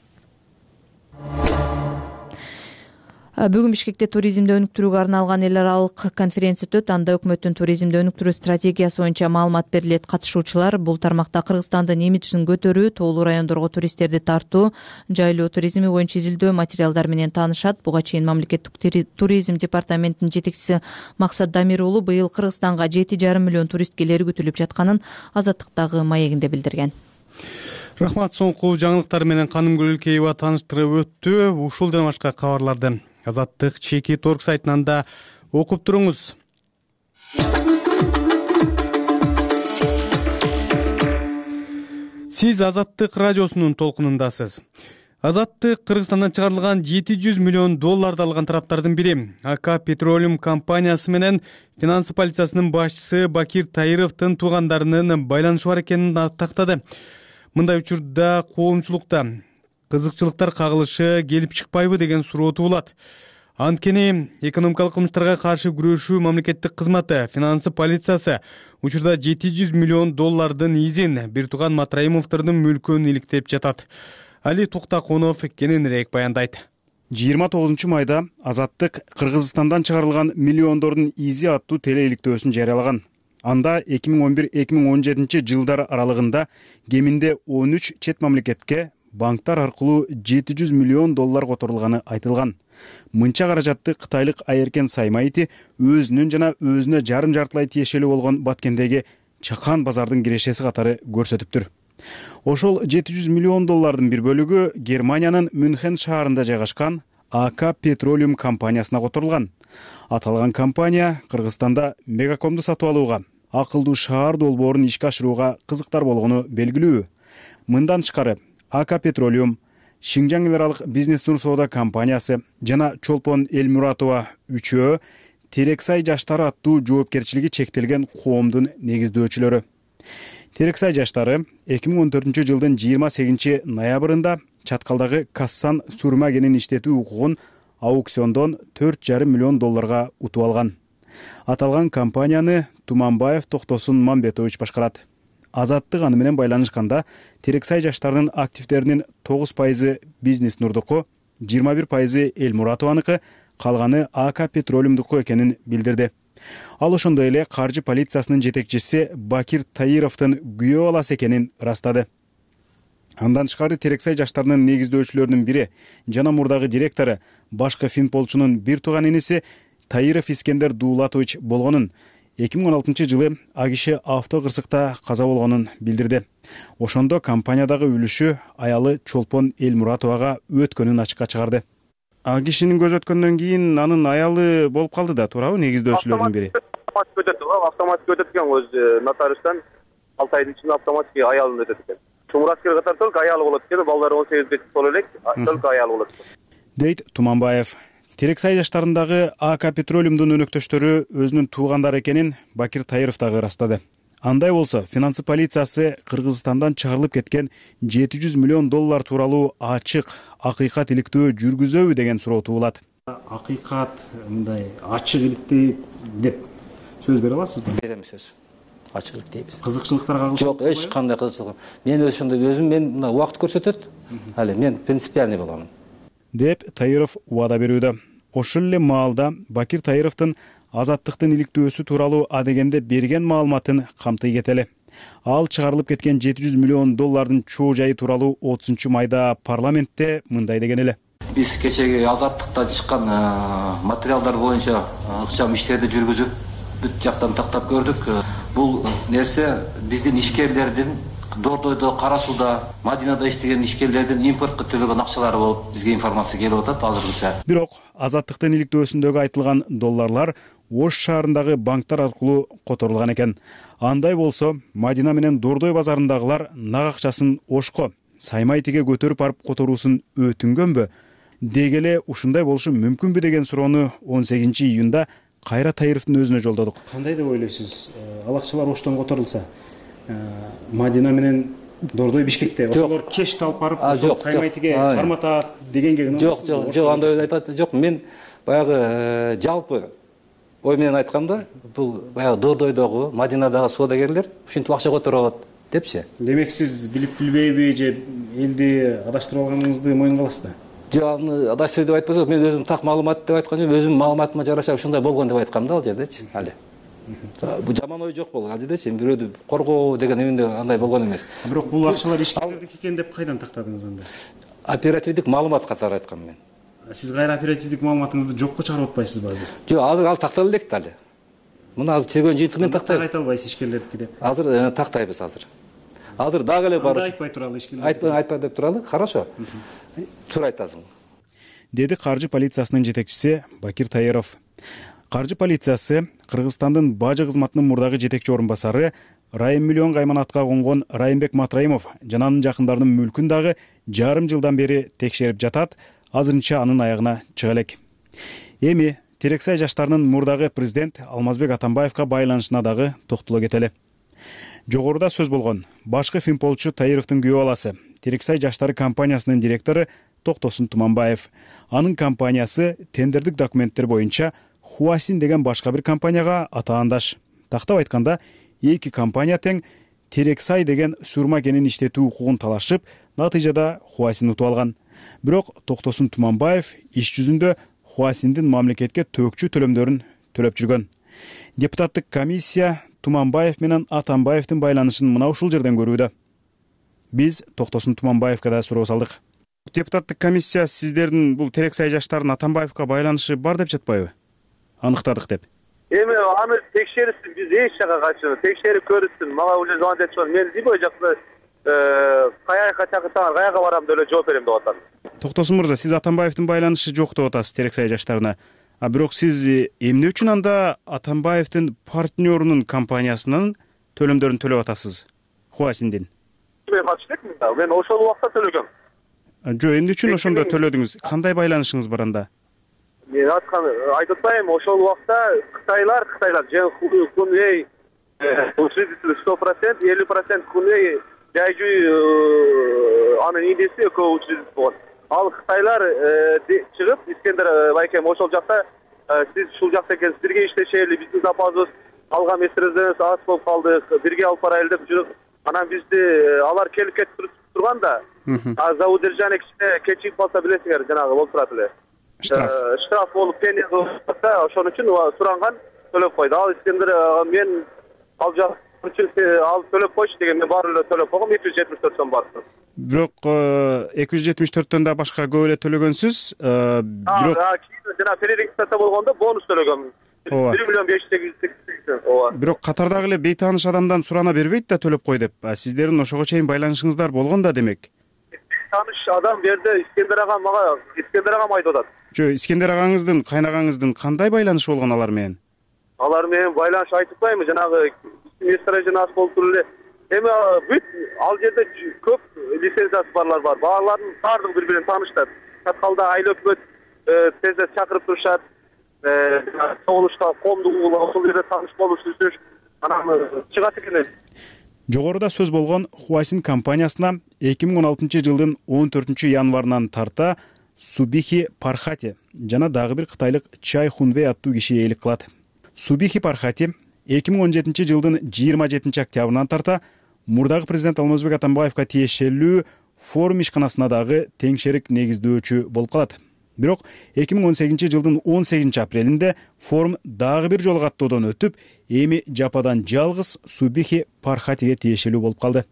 Бүгүн Бишкекте туризмди өнүктүрүүгө арналган эл аралык конференция өтөт. Анда өкмөттүн туризмди өнүктүрүү стратегиясы боюнча маалымат берилет. Катышуучулар бул тармакта Кыргызстандын имиджин көтөрүү, тоолуу райондорго туристтерди тартуу, жайлоо туризми боюнча изилдөө материалдар менен таанышат. Буга чейин мамлекеттик туризм департаментинин жетекчиси Максат Дамир уулу быйыл Кыргызстанга жети жарым миллион турист келери күтүлүп жатканын Азаттыктагы маегинде билдирген.
Рахмат. Соңку жаңылыктар менен Каным Гүлөлкеева тааныштырып өттү. Ушул жана башка кабарларды Азаттык чеки торг сайтынан да окуп туруңуз. Сиз Азаттык радиосунун толкунундасыз. Азаттык Кыргызстандан чыгарылган жети жүз миллион долларды алган тараптардын бири АК Петролиум компаниясы менен финансы полициясынын башчысы Бакир Таировдун туугандарынын байланышы бар экенин тактады. Мындай учурда коомчулукта кызыкчылыктар кагылышы келип чыкпайбы деген суроо туулат. Анткени экономикалык кылмыштарга каршы күрөшүү мамлекеттик кызматы, финансы полициясы учурда жети жүз миллион доллардын изин бир тууган Матраимовдордун мүлкүн иликтеп жатат. Али Токтаконов кененирээк баяндайт.
жыйырма тогузунчу майда Азаттык Кыргызстандан чыгарылган миллиондордун изи аттуу телеиликтөөсүн жарыялаган. Анда эки миң он бир эки миң он жетинчи жылдар аралыгында кеминде он үч чет мамлекетке банктар аркылуу жети жүз миллион доллар которулганы айтылган. Мынча каражатты кытайлык Айеркен Саймайти өзүнүн жана өзүнө жарым жартылай тиешелүү болгон Баткендеги Чакан базардын кирешеси катары көрсөтүптүр. Ошол жети жүз миллион доллардын бир бөлүгү Германиянын Мюнхен шаарында жайгашкан АК Петролиум компаниясына которулган. Аталган компания Кыргызстанда мегакомду сатып алууга, акылдуу шаар долбоорун ишке ашырууга кызыктар болгону белгилүү. Мындан тышкары АК Петролиум, Шинжаң эл аралык бизнес тур соода компаниясы жана Чолпон Элмуратова үчөө Терексай жаштары аттуу жоопкерчилиги чектелген коомдун негиздөөчүлөрү. Терексай жаштары эки миң он төртүнчү жылдын жыйырма сегизинчи ноябрында Чаткалдагы Кассан сурма кенин иштетүү укугун аукциондон төрт жарым миллион долларга утуп алган. Аталган компанияны Туманбаев Токтосун Мамбетович башкарат. Азаттык аны менен байланышканда Терексай жаштарынын активдеринин тогуз пайызы бизнес нурдуку, жыйырма бир пайызы Элмуратованыкы, калганы АК Петролиумдуку экенин билдирди. Ал ошондой эле каржы полициясынын жетекчиси Бакир Таировдун күйөө баласы экенин ырастады. Андан тышкары Терексай жаштарынын негиздөөчүлөрүнүн бири жана мурдагы директору башкы финполчунун бир тууган иниси Таиров Искендер Дуулатович болгонун, эки миң он алтынчы жылы а киши авто кырсыкта каза болгонун билдирди. Ошондо компаниядагы үлүшү аялы Чолпон Элмуратовага өткөнүн ачыкка чыгарды. А кишинин көз өткөндөн кийин анын аялы болуп калды да, туурабы, негиздөөчүлөрдүн бири?
Автоматик өтөт, автоматик өтөт экен, өз нотариустан алты айдын ичинде автоматик аялын өтөт экен. Мураткер катары только аялы болот экен, балдары он сегизге толо элек, только аялы болот экен.
Дейт Туманбаев. Терексай жаштарындагы АК Петролиумдун өнөктөштөрү өзүнүн туугандары экенин Бакир Таиров дагы ырастады. Андай болсо, финансы полициясы Кыргызстандан чыгарылып кеткен жети жүз миллион доллар тууралуу ачык, акыйкат иликтөө жүргүзөбү деген суроо туулат. Акыйкат мындай ачык иликтей деп сөз бере аласызбы?
Берем сөз. Ачык иликтейбиз.
Кызыкчылыктарга кагылыш
жок, эч кандай кызыкчылык. Мен өз ошондой өзүм мен мына убакыт көрсөтөт. Али мен принципиальный болгонмун.
Деп Таиров убада берүүдө. Ошол эле маалда Бакир Таировдун азаттыктын иликтөөсү тууралуу адегенде берген маалыматын камтый кетели. Ал чыгарылып кеткен жети жүз миллион доллардын чоо жайы тууралуу отузунчу майда парламентте мындай деген эле.
Биз кечеги азаттыктан чыккан материалдар боюнча ыкчам иштерди жүргүзүп, бүт жактан тактап көрдүк. Бул нерсе биздин ишкерлердин Дордойдо, Кара Сууда, Мадинада иштеген ишкерлердин импортко төлөгөн акчалары болуп бизге информация келип атат азырынча.
Бирок азаттыктын иликтөөсүндөгү айтылган долларлар Ош шаарындагы банктар аркылуу которулган экен. Андай болсо, Мадина менен Дордой базарындагылар нак акчасын Ошко, Саймайтиге көтөрүп барып которуусун өтүнгөнбү? Деги эле ушундай болушу мүмкүнбү деген суроону он сегизинчи июнда Кайра Таировдун өзүнө жолдодук. Кандай деп ойлойсуз? Ал акчалар Оштон которулса, Мадина менен Дордой Бишкекте ошолор кеш алып барып, ошол Саймайтиге карматат дегенге гана.
Жок, жок, жок, андай айтат жок. Мен баягы жалпы ой менен айтканда, бул баягы Дордойдогу, Мадинадагы соодагерлер ушинтип акча которот депчи.
Демек сиз билип билбейби же элди адаштырып алганыңызды моюнга аласыз да?
Жок, аны адаштырып деп айтпасам, мен өзүм так маалымат деп айткан жок, өзүм маалыматыма жараша ушундай болгон деп айткам да ал жердечи. Али. Бул жаман ой жок болгон ал жердечи, бирөөдү коргоо деген эмне андай болгон эмес.
Бирок бул акчалар ишкерлердики экен деп кайдан тактадыңыз анда?
Оперативдик маалымат катары айткам мен.
Сиз кайра оперативдик маалыматыңызды жокко чыгарып атпайсызбы азыр?
Жок, азыр ал тактала элек да али. Муну азыр чегөн жыйынтыгы менен тактайбыз.
Айта албайсыз ишкерлердики деп.
Азыр тактайбыз азыр. Азыр дагы эле бар.
Айтпай туралы ишкерлер.
Айтпай, айтпай деп туралы. Хорошо. Туура айтасың.
Деди каржы полициясынын жетекчиси Бакир Таиров. Каржы полициясы Кыргызстандын бажы кызматынын мурдагы жетекчи орун басары Райым миллион кайманатка конгон Райымбек Матраимов жана анын жакындарынын мүлкүн дагы жарым жылдан бери текшерип жатат, азырынча анын аягына чыга элек. Эми Терексай жаштарынын мурдагы президент Алмазбек Атамбаевга байланышына дагы токтоло кетели. Жогоруда сөз болгон башкы финполчу Таировдун күйөө баласы, Терексай жаштары компаниясынын директору Токтосун Туманбаев. Анын компаниясы тендердик документтер боюнча Хуасин деген башка бир компанияга атаандаш. Тактап айтканда, эки компания тең Терексай деген сурма кенин иштетүү укугун талашып, натыйжада Хуасин утуп алган. Бирок Токтосун Туманбаев иш жүзүндө Хуасиндин мамлекетке төкчү төлөмдөрүн төлөп жүргөн. Депутаттык комиссия Туманбаев менен Атамбаевдин байланышын мына ушул жерден көрүүдө. Биз Токтосун Туманбаевга да суроо салдык. Депутаттык комиссия сиздердин бул Терексай жаштарын Атамбаевга байланышы бар деп жатпайбы? Аныктадык деп.
Эми аны текшерсин, биз эч жака качып, текшерип көрүшсүн. Мага уже звонок этип, мен Дибой жакта каяка чакырсаңар, каяка барам деп эле жооп берем деп атам.
Токтосун мырза, сиз Атамбаевдин байланышы жок деп атасыз Терексай жаштарына. А бирок сиз эмне үчүн анда Атамбаевдин партнерунун компаниясынын төлөмдөрүн төлөп атасыз? Хуасиндин.
Мен катышып элем, мен ошол убакта төлөгөм.
Жок, эмне үчүн ошондо төлөдүңүз? Кандай байланышыңыз бар анда?
Мен айткан, айтып атпайм, ошол убакта Кытайлар, Кытайлар же Хунвей учредитель сто процент, элүү процент Хунвей жайжүй анын индеси экөө учредитель болгон. Ал Кытайлар чыгып, Искендер байкем ошол жакта сиз ушул жакта экенсиз, бирге иштешели, биздин запасыбыз алган месселерибиз аз болуп калды, бирге алып барайлы деп жүрүп, анан бизди алар келип кетип турганда, а за удержание кичине кечигип калса билесиңер, жанагы болуп турат эле. Штраф. Штраф болуп пени кылса, ошон үчүн суранган төлөп койду. Ал Искендер мен ал жак ал төлөп койчу деген мен баары эле төлөп койгом, эки жүз жетимиш төрт сом бар.
Бирок эки жүз жетимиш төрттөн да башка көп эле төлөгөнсүз. Бирок
жана перерегистрация болгондо бонус төлөгөм. бир миллион беш жүз сегиз жүз сексен. ооба.
Бирок катардагы эле бейтааныш адамдан сурана бербейт да төлөп кой деп. Сиздердин ошого чейин байланышыңыздар болгон да демек.
Тааныш адам берди, Искендер агам мага, Искендер агам айтып атат.
Жо, Искендер агаңыздын, кайнагаңыздын кандай байланышы болгон алар менен?
Алар менен байланыш айтып атпаймынбы, жанагы месторождение жөнүндө болуп туруп эле. Эми бүт ал жерде көп лицензиясы барлар бар. Баалардын баардыгы бири менен тааныштар. Каткалда айыл өкмөт тез чакырып турушат. Соолушта коомдук угул ошол жерде тааныш болуш үчүн анан чыгат экен.
Жогоруда сөз болгон Huaxin компаниясына эки миң он алтынчы жылдын он төртүнчү январынан тарта Субихи Пархати жана дагы бир кытайлык Чай Хунвей аттуу киши ээлик кылат. Субихи Пархати эки миң он жетинчи жылдын жыйырма жетинчи октябрынан тарта мурдагы президент Алмазбек Атамбаевка тиешелүү форум ишканасына дагы теңшерик негиздөөчү болуп калат. Бирок эки миң он сегизинчи жылдын он сегизинчи апрелинде форум дагы бир жолу каттоодон өтүп, эми жападан жалгыз Субихи Пархатиге тиешелүү болуп калды.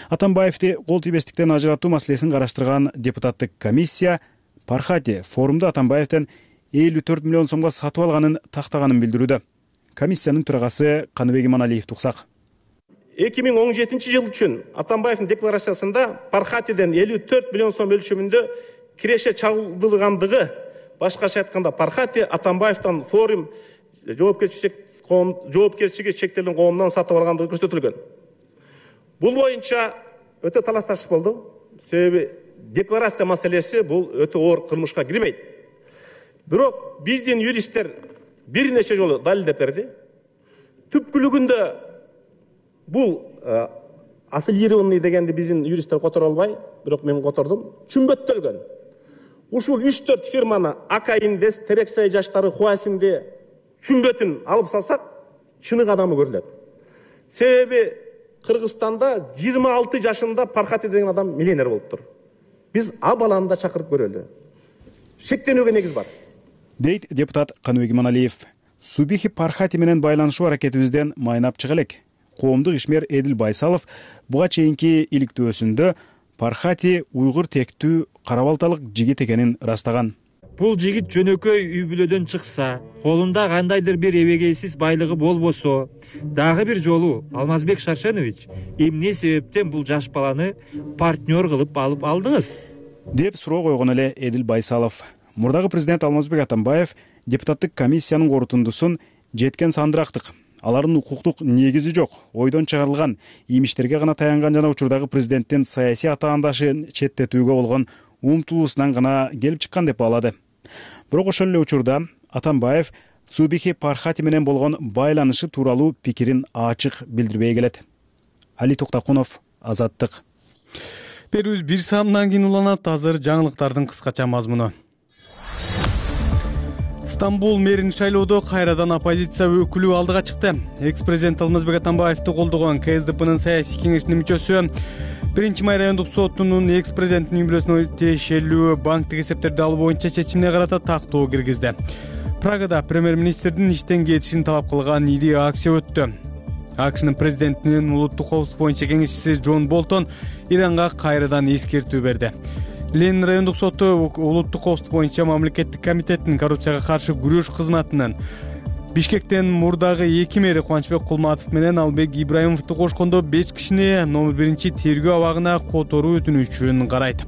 Атамбаевди кол тийбестиктен ажыратуу маселесин караштырган депутаттык комиссия Пархати форумду Атамбаевден элүү төрт миллион сомго сатып алганын тактаганын билдирүүдө. Комиссиянын төрагасы Каныбек Иманалиев туксак.
эки миң он жетинчи жыл үчүн Атамбаевдин декларациясында Пархатиден элүү төрт миллион сом өлчөмүндө киреше чалдыргандыгы, башкача айтканда Пархати Атамбаевден форум жоопкерчилик коом жоопкерчилиги чектелген коомдон сатып алгандыгы көрсөтүлгөн. Бул боюнча өтө талаш тартыш болду. Себеби декларация маселеси бул өтө оор кылмышка кирбейт. Бирок биздин юристтер бир нече жолу далилдеп берди. Түпкүлүгүндө бул аффилированный дегенди биздин юристтер которо албай, бирок мен котордум. Чүмбөттөлгөн. Ушул үч төрт фирманы Ака Инвест, Терексай жаштары, Huaxin'ди чүмбөтүн алып салсак, чынык адамы көрүлөт. Себеби Кыргызстанда жыйырма алты жашында Пархати деген адам миллионер болуптур. Биз а баланы да чакырып көрөлү. Шектенүүгө негиз бар.
Дейт депутат Каныбек Иманалиев. Субихи Пархати менен байланышуу аракетибизден майнап чыга элек. Коомдук ишмер Эдил Байсалов буга чейинки иликтөөсүндө Пархати уйгур тектүү кара балталык жигит экенин растаган.
Бул жигит жөнөкөй үй бүлөдөн чыкса, колунда кандайдыр бир эбегейсиз байлыгы болбосо, дагы бир жолу Алмазбек Шаршенович эмне себептен бул жаш баланы партнер кылып алып алдыңыз?
Деп суроо койгон эле Эдил Байсалов. Мурдагы президент Алмазбек Атамбаев депутаттык комиссиянын корутундусун жеткен сандырактык. Алардын укуктук негизи жок, ойдон чыгарылган, имиштерге гана таянган жана учурдагы президенттин саясий атаандашын четтетүүгө болгон умтулуусунан гана келип чыккан деп баалады. Бирок ошол эле учурда Атамбаев Субихи Пархати менен болгон байланышы тууралуу пикирин ачык билдирбей келет. Али Токтакунов, Азаттык.
Берүүбүз бир саамдан кийин уланат. Азыр жаңылыктардын кыскача мазмуну. Стамбул мэрин шайлоодо кайрадан оппозиция өкүлү алдыга чыкты. Экс-президент Алмазбек Атамбаевди колдогон ка эс дэ пэнин саясий кеңешинин мүчөсү биринчи май райондук сотунун экс-президенттин үй бүлөсүнө тиешелүү банктык эсептерди алуу боюнча чечимине карата тактоо киргизди. Прагада премьер-министрдин иштен кетишин талап кылган ири акция өттү. АКШнын президентинин улуттук коопсуздук боюнча кеңешчиси Джон Болтон Иранга кайрадан эскертүү берди. Ленин райондук соту улуттук коопсуздук боюнча мамлекеттик комитеттин коррупцияга каршы күрөш кызматынын Бишкектен мурдагы эки мэри Кубанычбек Кулматов менен Албек Ибраимовду кошкондо беш кишини номер биринчи тергөө абагына которуу өтүнүчүн карайт.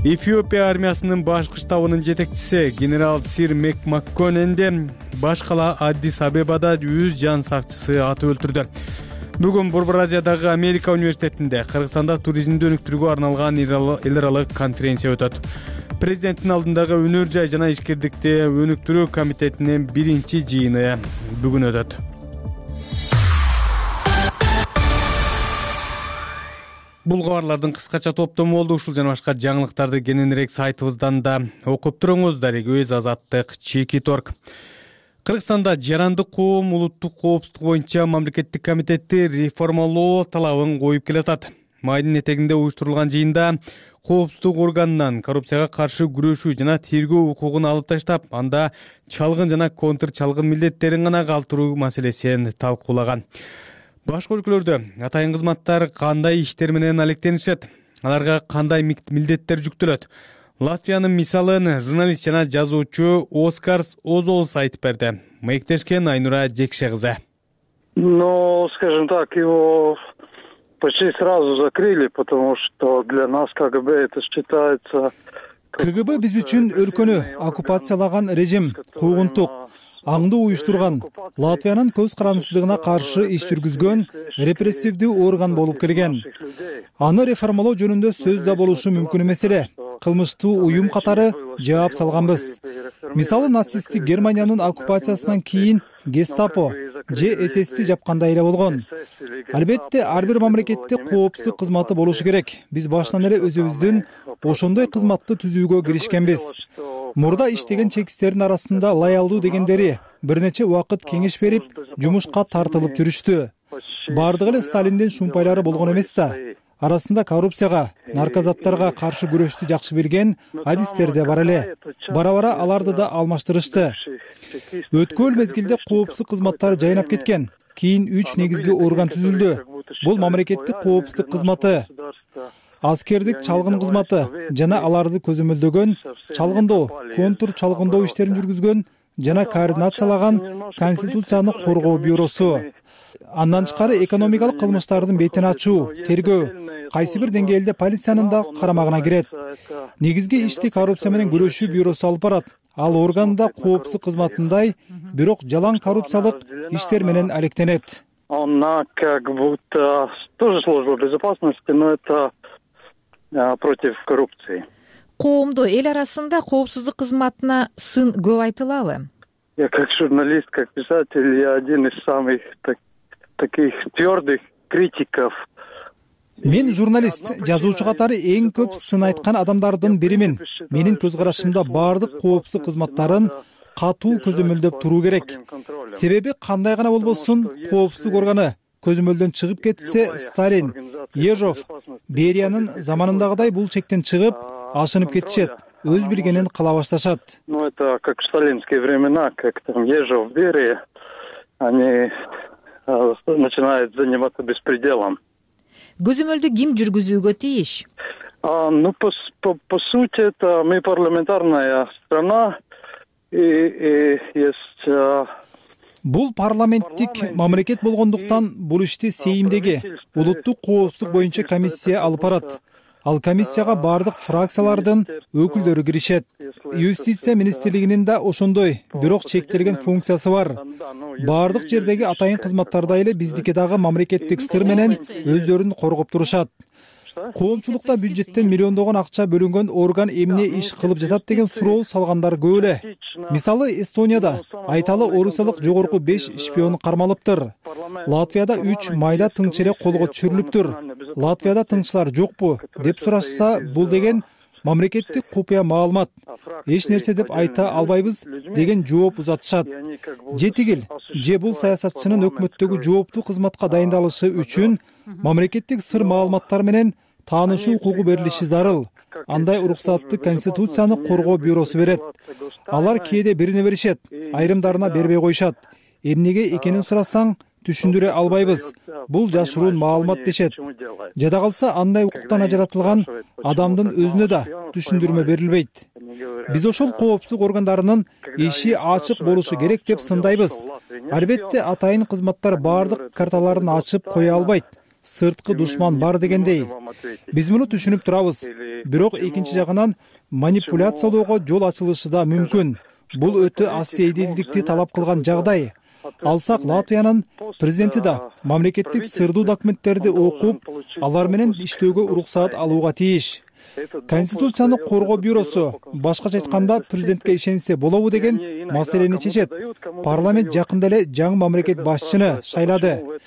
Эфиопия армиясынын башкы штабынын жетекчиси генерал Сир Мек Макконенди башкала Аддис Абебада жүз жан сакчысы атып өлтүрдү. Бүгүн Борбор Азиядагы Америка университетинде Кыргызстанда туризмди өнүктүрүүгө арналган эл аралык конференция өтөт. Президенттин алдындагы өнөр жай жана ишкердикти өнүктүрүү комитетинин биринчи жыйыны бүгүн өтөт. Бул кабарлардын кыскача топтому болду. Ушул жана башка жаңылыктарды кененирээк сайтыбыздан да окуп туруңуз. Дарек-өз Азаттык Чекит орг. Кыргызстанда жарандык коом улуттук коопсуздук боюнча мамлекеттик комитетти реформалоо талабын коюп келатат. Майдын этегинде уюштурулган жыйында коопсуздук органынан коррупцияга каршы күрөшүү жана тергөө укугун алып таштап, анда чалгын жана контр чалгын милдеттерин гана калтыруу маселесин талкуулаган. Башка өлкөлөрдө атайын кызматтар кандай иштер менен алектенишет, аларга кандай милдеттер жүктөлөт? Латвиянын мисалын журналист жана жазуучу Оскарс Озолс айтып берди. Маектешкен Айнура Жекше кызы.
Ну, скажем так, его почти сразу закрыли, потому что для нас КГБ это считается...
КГБ биз үчүн өлкөнү оккупациялаган режим, куугунтук, аңды уюштурган, Латвиянын көз карандысыздыгына каршы иш жүргүзгөн репрессивдүү орган болуп келген. Аны реформалоо жөнүндө сөз да болушу мүмкүн эмес эле. Кылмыштуу уюм катары жаап салганбыз. Мисалы нацисттик Германиянын оккупациясынан кийин Гестапо же ССти жапкандай эле болгон. Албетте ар бир мамлекетте коопсуздук кызматы болушу керек. Биз башынан эле өзүбүздүн ошондой кызматты түзүүгө киришкенбиз. Мурда иштеген чекистердин арасында лоялдуу дегендери бир нече убакыт кеңеш берип, жумушка тартылып жүрүштү. Бардыгы эле Сталиндин шумпайлары болгон эмес да. Арасында коррупцияга, наркозаттарга каршы күрөштү жакшы билген адистер да бар эле. Бара-бара аларды да алмаштырышты. Өткөн мезгилде коопсуздук кызматтары жайнап кеткен. Кийин үч негизги орган түзүлдү. Бул мамлекеттик коопсуздук кызматы, аскердик чалгын кызматы жана аларды көзөмөлдөгөн, чалгындоо, контур чалгындоо иштерин жүргүзгөн жана координациялаган Конституцияны коргоо бюросу. Андан тышкары экономикалык кылмыштардын бетин ачуу, тергөө, кайсы бир деңгээлде полициянын да карамагына кирет. Негизги ишти коррупция менен күрөшүү бюросу алып барат. Ал органда коопсуздук кызматындай, бирок жалаң коррупциялык иштер менен алектенет.
Она как будто тоже служба безопасности, но это против коррупции.
Коомдо, эл арасында коопсуздук кызматына сын көп айтылабы?
Я как журналист, как писатель, я один из самых так, таких твердых критиков.
Мен журналист, жазуучу катары эң көп сын айткан адамдардын биримин. Менин көз карашымда бардык коопсуздук кызматтарын катуу көзөмөлдөп туруу керек. Себеби кандай гана болбосун, коопсуздук органы көзөмөлдөн чыгып кетсе, Сталин, Ежов, Бериянын заманындагыдай бул чектен чыгып, ашынып кетишет. Өз билгенин кыла башташат.
Ну, это как в сталинские времена, как там Ежов, Берия, они начинают заниматься беспределом.
Көзөмөлдү ким жүргүзүүгө тийиш?
Ну, по, по, по сути, это мы парламентарная страна, и, и есть...
Бул парламенттик мамлекет болгондуктан бул ишти сейимдеги улуттук коопсуздук боюнча комиссия алып барат. Ал комиссияга бардык фракциялардын өкүлдөрү киришет. Юстиция министрлигинин да ошондой, бирок чектелген функциясы бар. Бардык жердеги атайын кызматтардай эле биздики дагы мамлекеттик сыр менен өздөрүн коргоп турушат. Коомчулукта бюджеттен миллиондогон акча бөлүнгөн орган эмне иш кылып жатат деген суроо салгандар көп эле. Мисалы Эстонияда айталы орусиялык жогорку беш шпион кармалыптыр. Латвияда үч майда тыңчы эле колго түшүрүлүптүр. Латвияда тыңчылар жокпу деп сурашса, бул деген мамлекеттик купуя маалымат. Эч нерсе деп айта албайбыз деген жооп узатышат. Же тигил, же бул саясатчынын өкмөттөгү жооптуу кызматка дайындалышы үчүн мамлекеттик сыр маалыматтар менен таанышуу укугу берилиши зарыл. Андай уруксатты Конституцияны коргоо бюросу берет. Алар кээде бирине беришет, айрымдарына бербей коюшат. Эмнеге экенин сурасаң, түшүндүрө албайбыз. Бул жашыруун маалымат дешет. Жада калса андай укуктан ажыратылган адамдын өзүнө да түшүндүрмө берилбейт. Биз ошол коопсуздук органдарынын иши ачык болушу керек деп сындайбыз. Албетте атайын кызматтар бардык карталарын ачып кое албайт. Сырткы душман бар дегендей. Биз муну түшүнүп турабыз. Бирок экинчи жагынан манипуляциялоого жол ачылышы да мүмкүн. Бул өтө астейдилдикти талап кылган жагдай. Алсак, Латвиянын президенти да мамлекеттик сырдуу документтерди окуп, алар менен иштөөгө уруксаат алууга тийиш. Конституцияны коргоо бюросу, башкача айтканда, президентке ишенсе болобу деген маселени чечет. Парламент жакында эле жаңы мамлекет башчыны шайлады.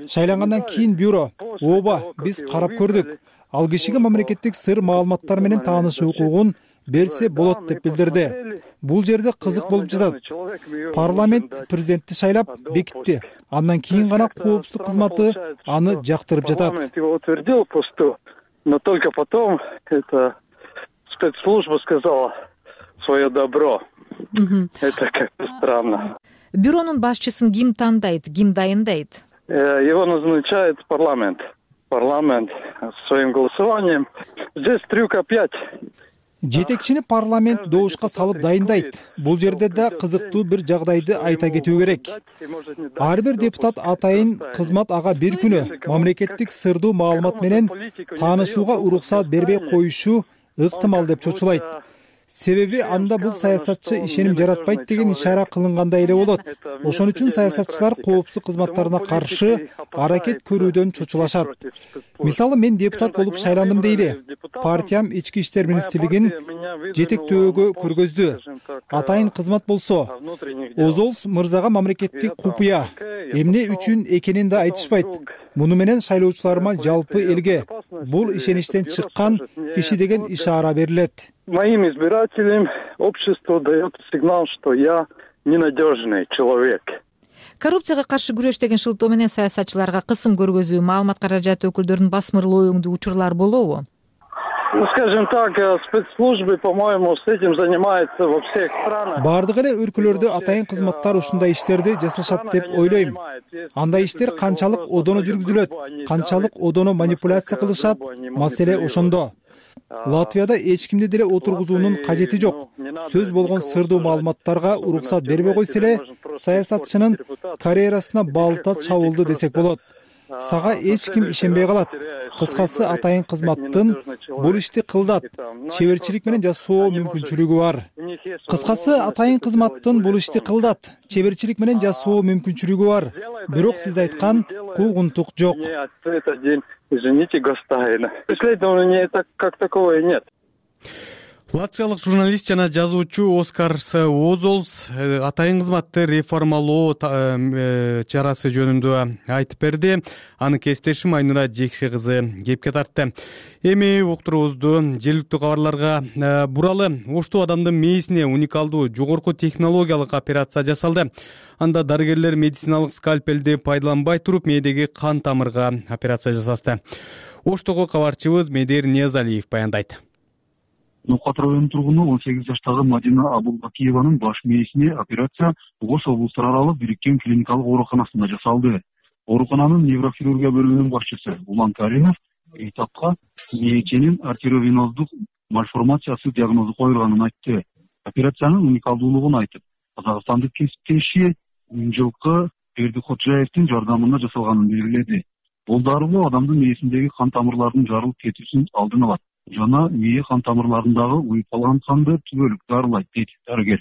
Шайлангандан кийин бюро, ооба, биз карап көрдүк. Ал кишиге мамлекеттик сыр маалыматтар менен таанышуу укугун берсе болот деп билдирди. Бул жерде кызык болуп жатат. Парламент президентти шайлап бекитти. Андан кийин гана коопсуздук кызматы аны жактырып жатат.
Но только потом эта спецслужба сказала свое добро. Это как-то странно.
Бюронун башчысын ким тандайт, ким дайындайт?
Его назначает парламент. Парламент своим голосованием. Здесь трюк опять.
Жетекчини парламент добушка салып дайындайт. Бул жерде да кызыктуу бир жагдайды айта кетүү керек. Ар бир депутат атайын кызмат ага бир күнү мамлекеттик сырдуу маалымат менен таанышууга уруксат бербей коюшу ыктымал деп чочулайт. Себеби анда бул саясатчы ишеним жаратпайт деген ишара кылынгандай эле болот. Ошон үчүн саясатчылар коопсуздук кызматтарына каршы аракет көрүүдөн чочулашат. Мисалы, мен депутат болуп шайландым дейли. Партиям ички иштер министрлигин жетектөөгө көргөздү. Атайын кызмат болсо, Озолс мырзага мамлекеттик купуя. Эмне үчүн экенин да айтышпайт. Муну менен шайлоочуларыма жалпы элге бул ишеничтен чыккан киши деген ишара берилет.
Моим избирателям общество дает сигнал, что я ненадежный человек.
Коррупцияга каршы күрөш деген шылтоо менен саясатчыларга кысым көргөзүү, маалымат каражаты өкүлдөрүн басмырлоо өңдүү учурлар болобу?
Ну, скажем так, спецслужбы, по-моему, с этим занимаются во всех странах.
Бардык эле өлкөлөрдө атайын кызматтар ушундай иштерди жасашат деп ойлойм. Андай иштер канчалык одоно жүргүзүлөт, канчалык одоно манипуляция кылышат, маселе ошондо. Латвияда эч кимди деле отургузуунун кажети жок. Сөз болгон сырдуу маалыматтарга уруксат бербей койсо эле саясатчынын карьерасына балта чабылды десек болот. Сага эч ким ишенбей калат. Кыскасы, атайын кызматтын бул ишти кылдат, чеберчилик менен жасоо мүмкүнчүлүгү бар. Кыскасы, атайын кызматтын бул ишти кылдат, чеберчилик менен жасоо мүмкүнчүлүгү бар. Бирок сиз айткан куугунтук жок.
Извините, господин. Исследования как такого и нет.
Латвиялык журналист жана жазуучу Оскарс Озолс атайын кызматты реформалоо чарасы жөнүндө айтып берди. Аны кесиптешим Айнура Жекше кызы кепке тартты. Эми уктуруубузду жергиликтүү кабарларга буралы. Ошту адамдын мээсине уникалдуу жогорку технологиялык операция жасалды. Анда дарыгерлер медициналык скальпелди пайдаланбай туруп мээдеги кан тамырга операция жасашты. Оштогу кабарчыбыз Медер Ниязалиев баяндайт.
Ноокат районунун тургуну он сегиз жаштагы Мадина Абулбакиеванын баш мээсине операция Ош облустар аралык бириккен клиникалык ооруканасында жасалды. Оорукананын неврохирургия бөлүмүнүн башчысы Улан Каримов Эйтапка мээченин артериовеноздук мальформациясы диагнозу коюлганын айтты. Операциянын уникалдуулугун айтып, казакстандык кесиптеши жылкы Бердикходжаевдин жардамында жасалганын белгиледи. Бул дарылоо адамдын мээсиндеги кан тамырларынын жарылып кетүүсүн алдын алат жана мээ кан тамырларындагы уюп калган канды түбөлүк дарылайт дейт дарыгер.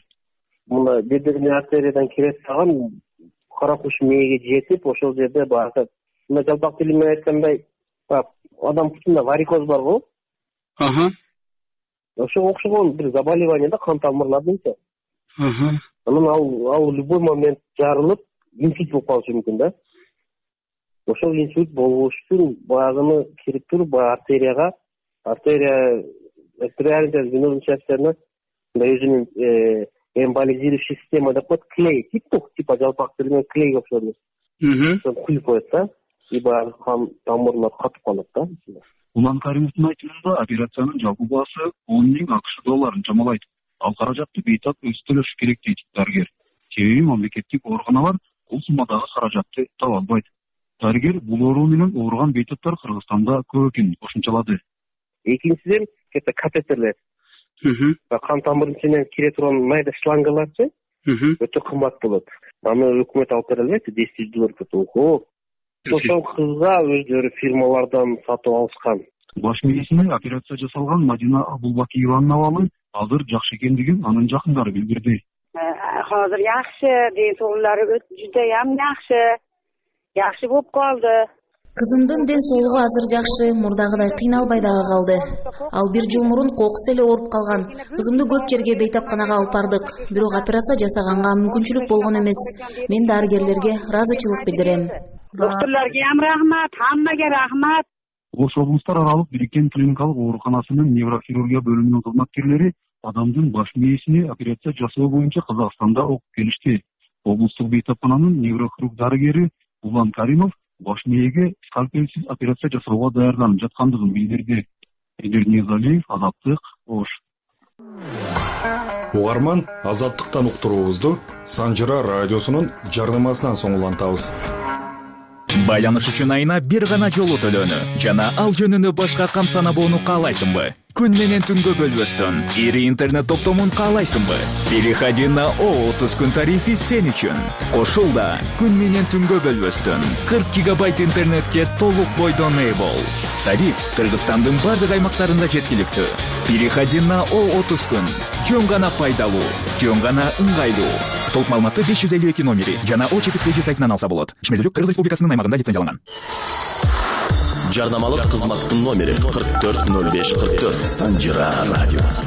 Бул бедерный артериядан кире салган кара куш мээге жетип, ошол жерде баягы мына жалпак тили менен айткандай, адам бутунда варикоз барбы?
Аха.
Ошого окшогон бир заболевание да кан тамырлардынча.
Аха.
Анан ал ал любой момент жарылып, инсульт болуп калышы мүмкүн да. Ошол инсульт болуш үчүн баягыны кирип туруп, баягы артерияга артерия артериальная венозная частяна өзүнүн эмболизирующий система деп коет, клей тип типа жалпак тили менен клей окшош. Ошо куюп коет да, и баягы кан тамырлар катып калат да.
Улан Каримовдун айтымында операциянын жалпы баасы он миң акш долларын чамалайт. Ал каражатты бейтап өзү төлөшү керек дейт дарыгер. Себеби мамлекеттик ооруканалар бул суммадагы каражатты таба албайт. Дарыгер бул оору менен ооруган бейтаптар Кыргызстанда көп экенин кошумчалады.
Экинчиден кете катетерлер. Кан тамырдын ичине кире турган майда шлангаларчы өтө кымбат болот. Аны өкмөт алып бере албайт, десять тысяч доллар кетет. Ошол кызга өздөрү фирмалардан сатып алышкан.
Баш мээсине операция жасалган Мадина Абулбакиеванын абалы азыр жакшы экендигин анын жакындары билдирди.
Азыр жакшы, ден соолугу жудайам жакшы. Жакшы болуп калды.
Кызымдын ден соолугу азыр жакшы, мурдагыдай кыйналбай дагы калды. Ал бир жыл мурун кокус эле ооруп калган. Кызымды көп жерге бейтапканага алып бардык. Бирок операция жасаганга мүмкүнчүлүк болгон эмес. Мен дарыгерлерге ыраазычылык билдирем.
Доктурларга ham рахмат, хаммага рахмат.
Ош облустар аралык бириккен клиникалык ооруканасынын неврохирургия бөлүмүнүн кызматкерлери адамдын баш мээсине операция жасоо боюнча Казакстанда окуп келишти. Облустук бейтапкананын неврохирург дарыгери Улан Каримов баш мээге скальпельсиз операция жасоого даярданып жаткандыгын билдирди. Эдер Ниязалиев, Азаттык, Ош.
Угарман, Азаттыктан уктуруубузду Санжыра радиосунун жарнамасынан соң улантабыз.
Байланыш үчүн айына бир гана жолу төлөөнү жана ал жөнүндө башка кам санабоону каалайсыңбы? Күн менен түнгө бөлбөстөн ири интернет топтомун каалайсыңбы? Переходи на о отуз күн тарифи сен үчүн. Кошулда күн менен түнгө бөлбөстөн кырк гигабайт интернетке толук бойдон ээ бол. Тариф Кыргызстандын бардык аймактарында жеткиликтүү. Переходи на о отуз күн. Жөн гана пайдалуу, жөн гана ыңгайлуу. Толук маалыматты беш жүз элүү эки номери жана о чекиткеji сайтынан алса болот. Ишмердүүлүк Кыргыз Республикасынын аймагында лицензияланган.
Жарнамалык кызматтын номери кырк төрт ноль беш кырк төрт. Санжира радиосу.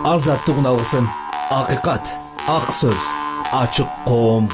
Азаттык үналгысын, акыйкат, ак сөз, ачык коом.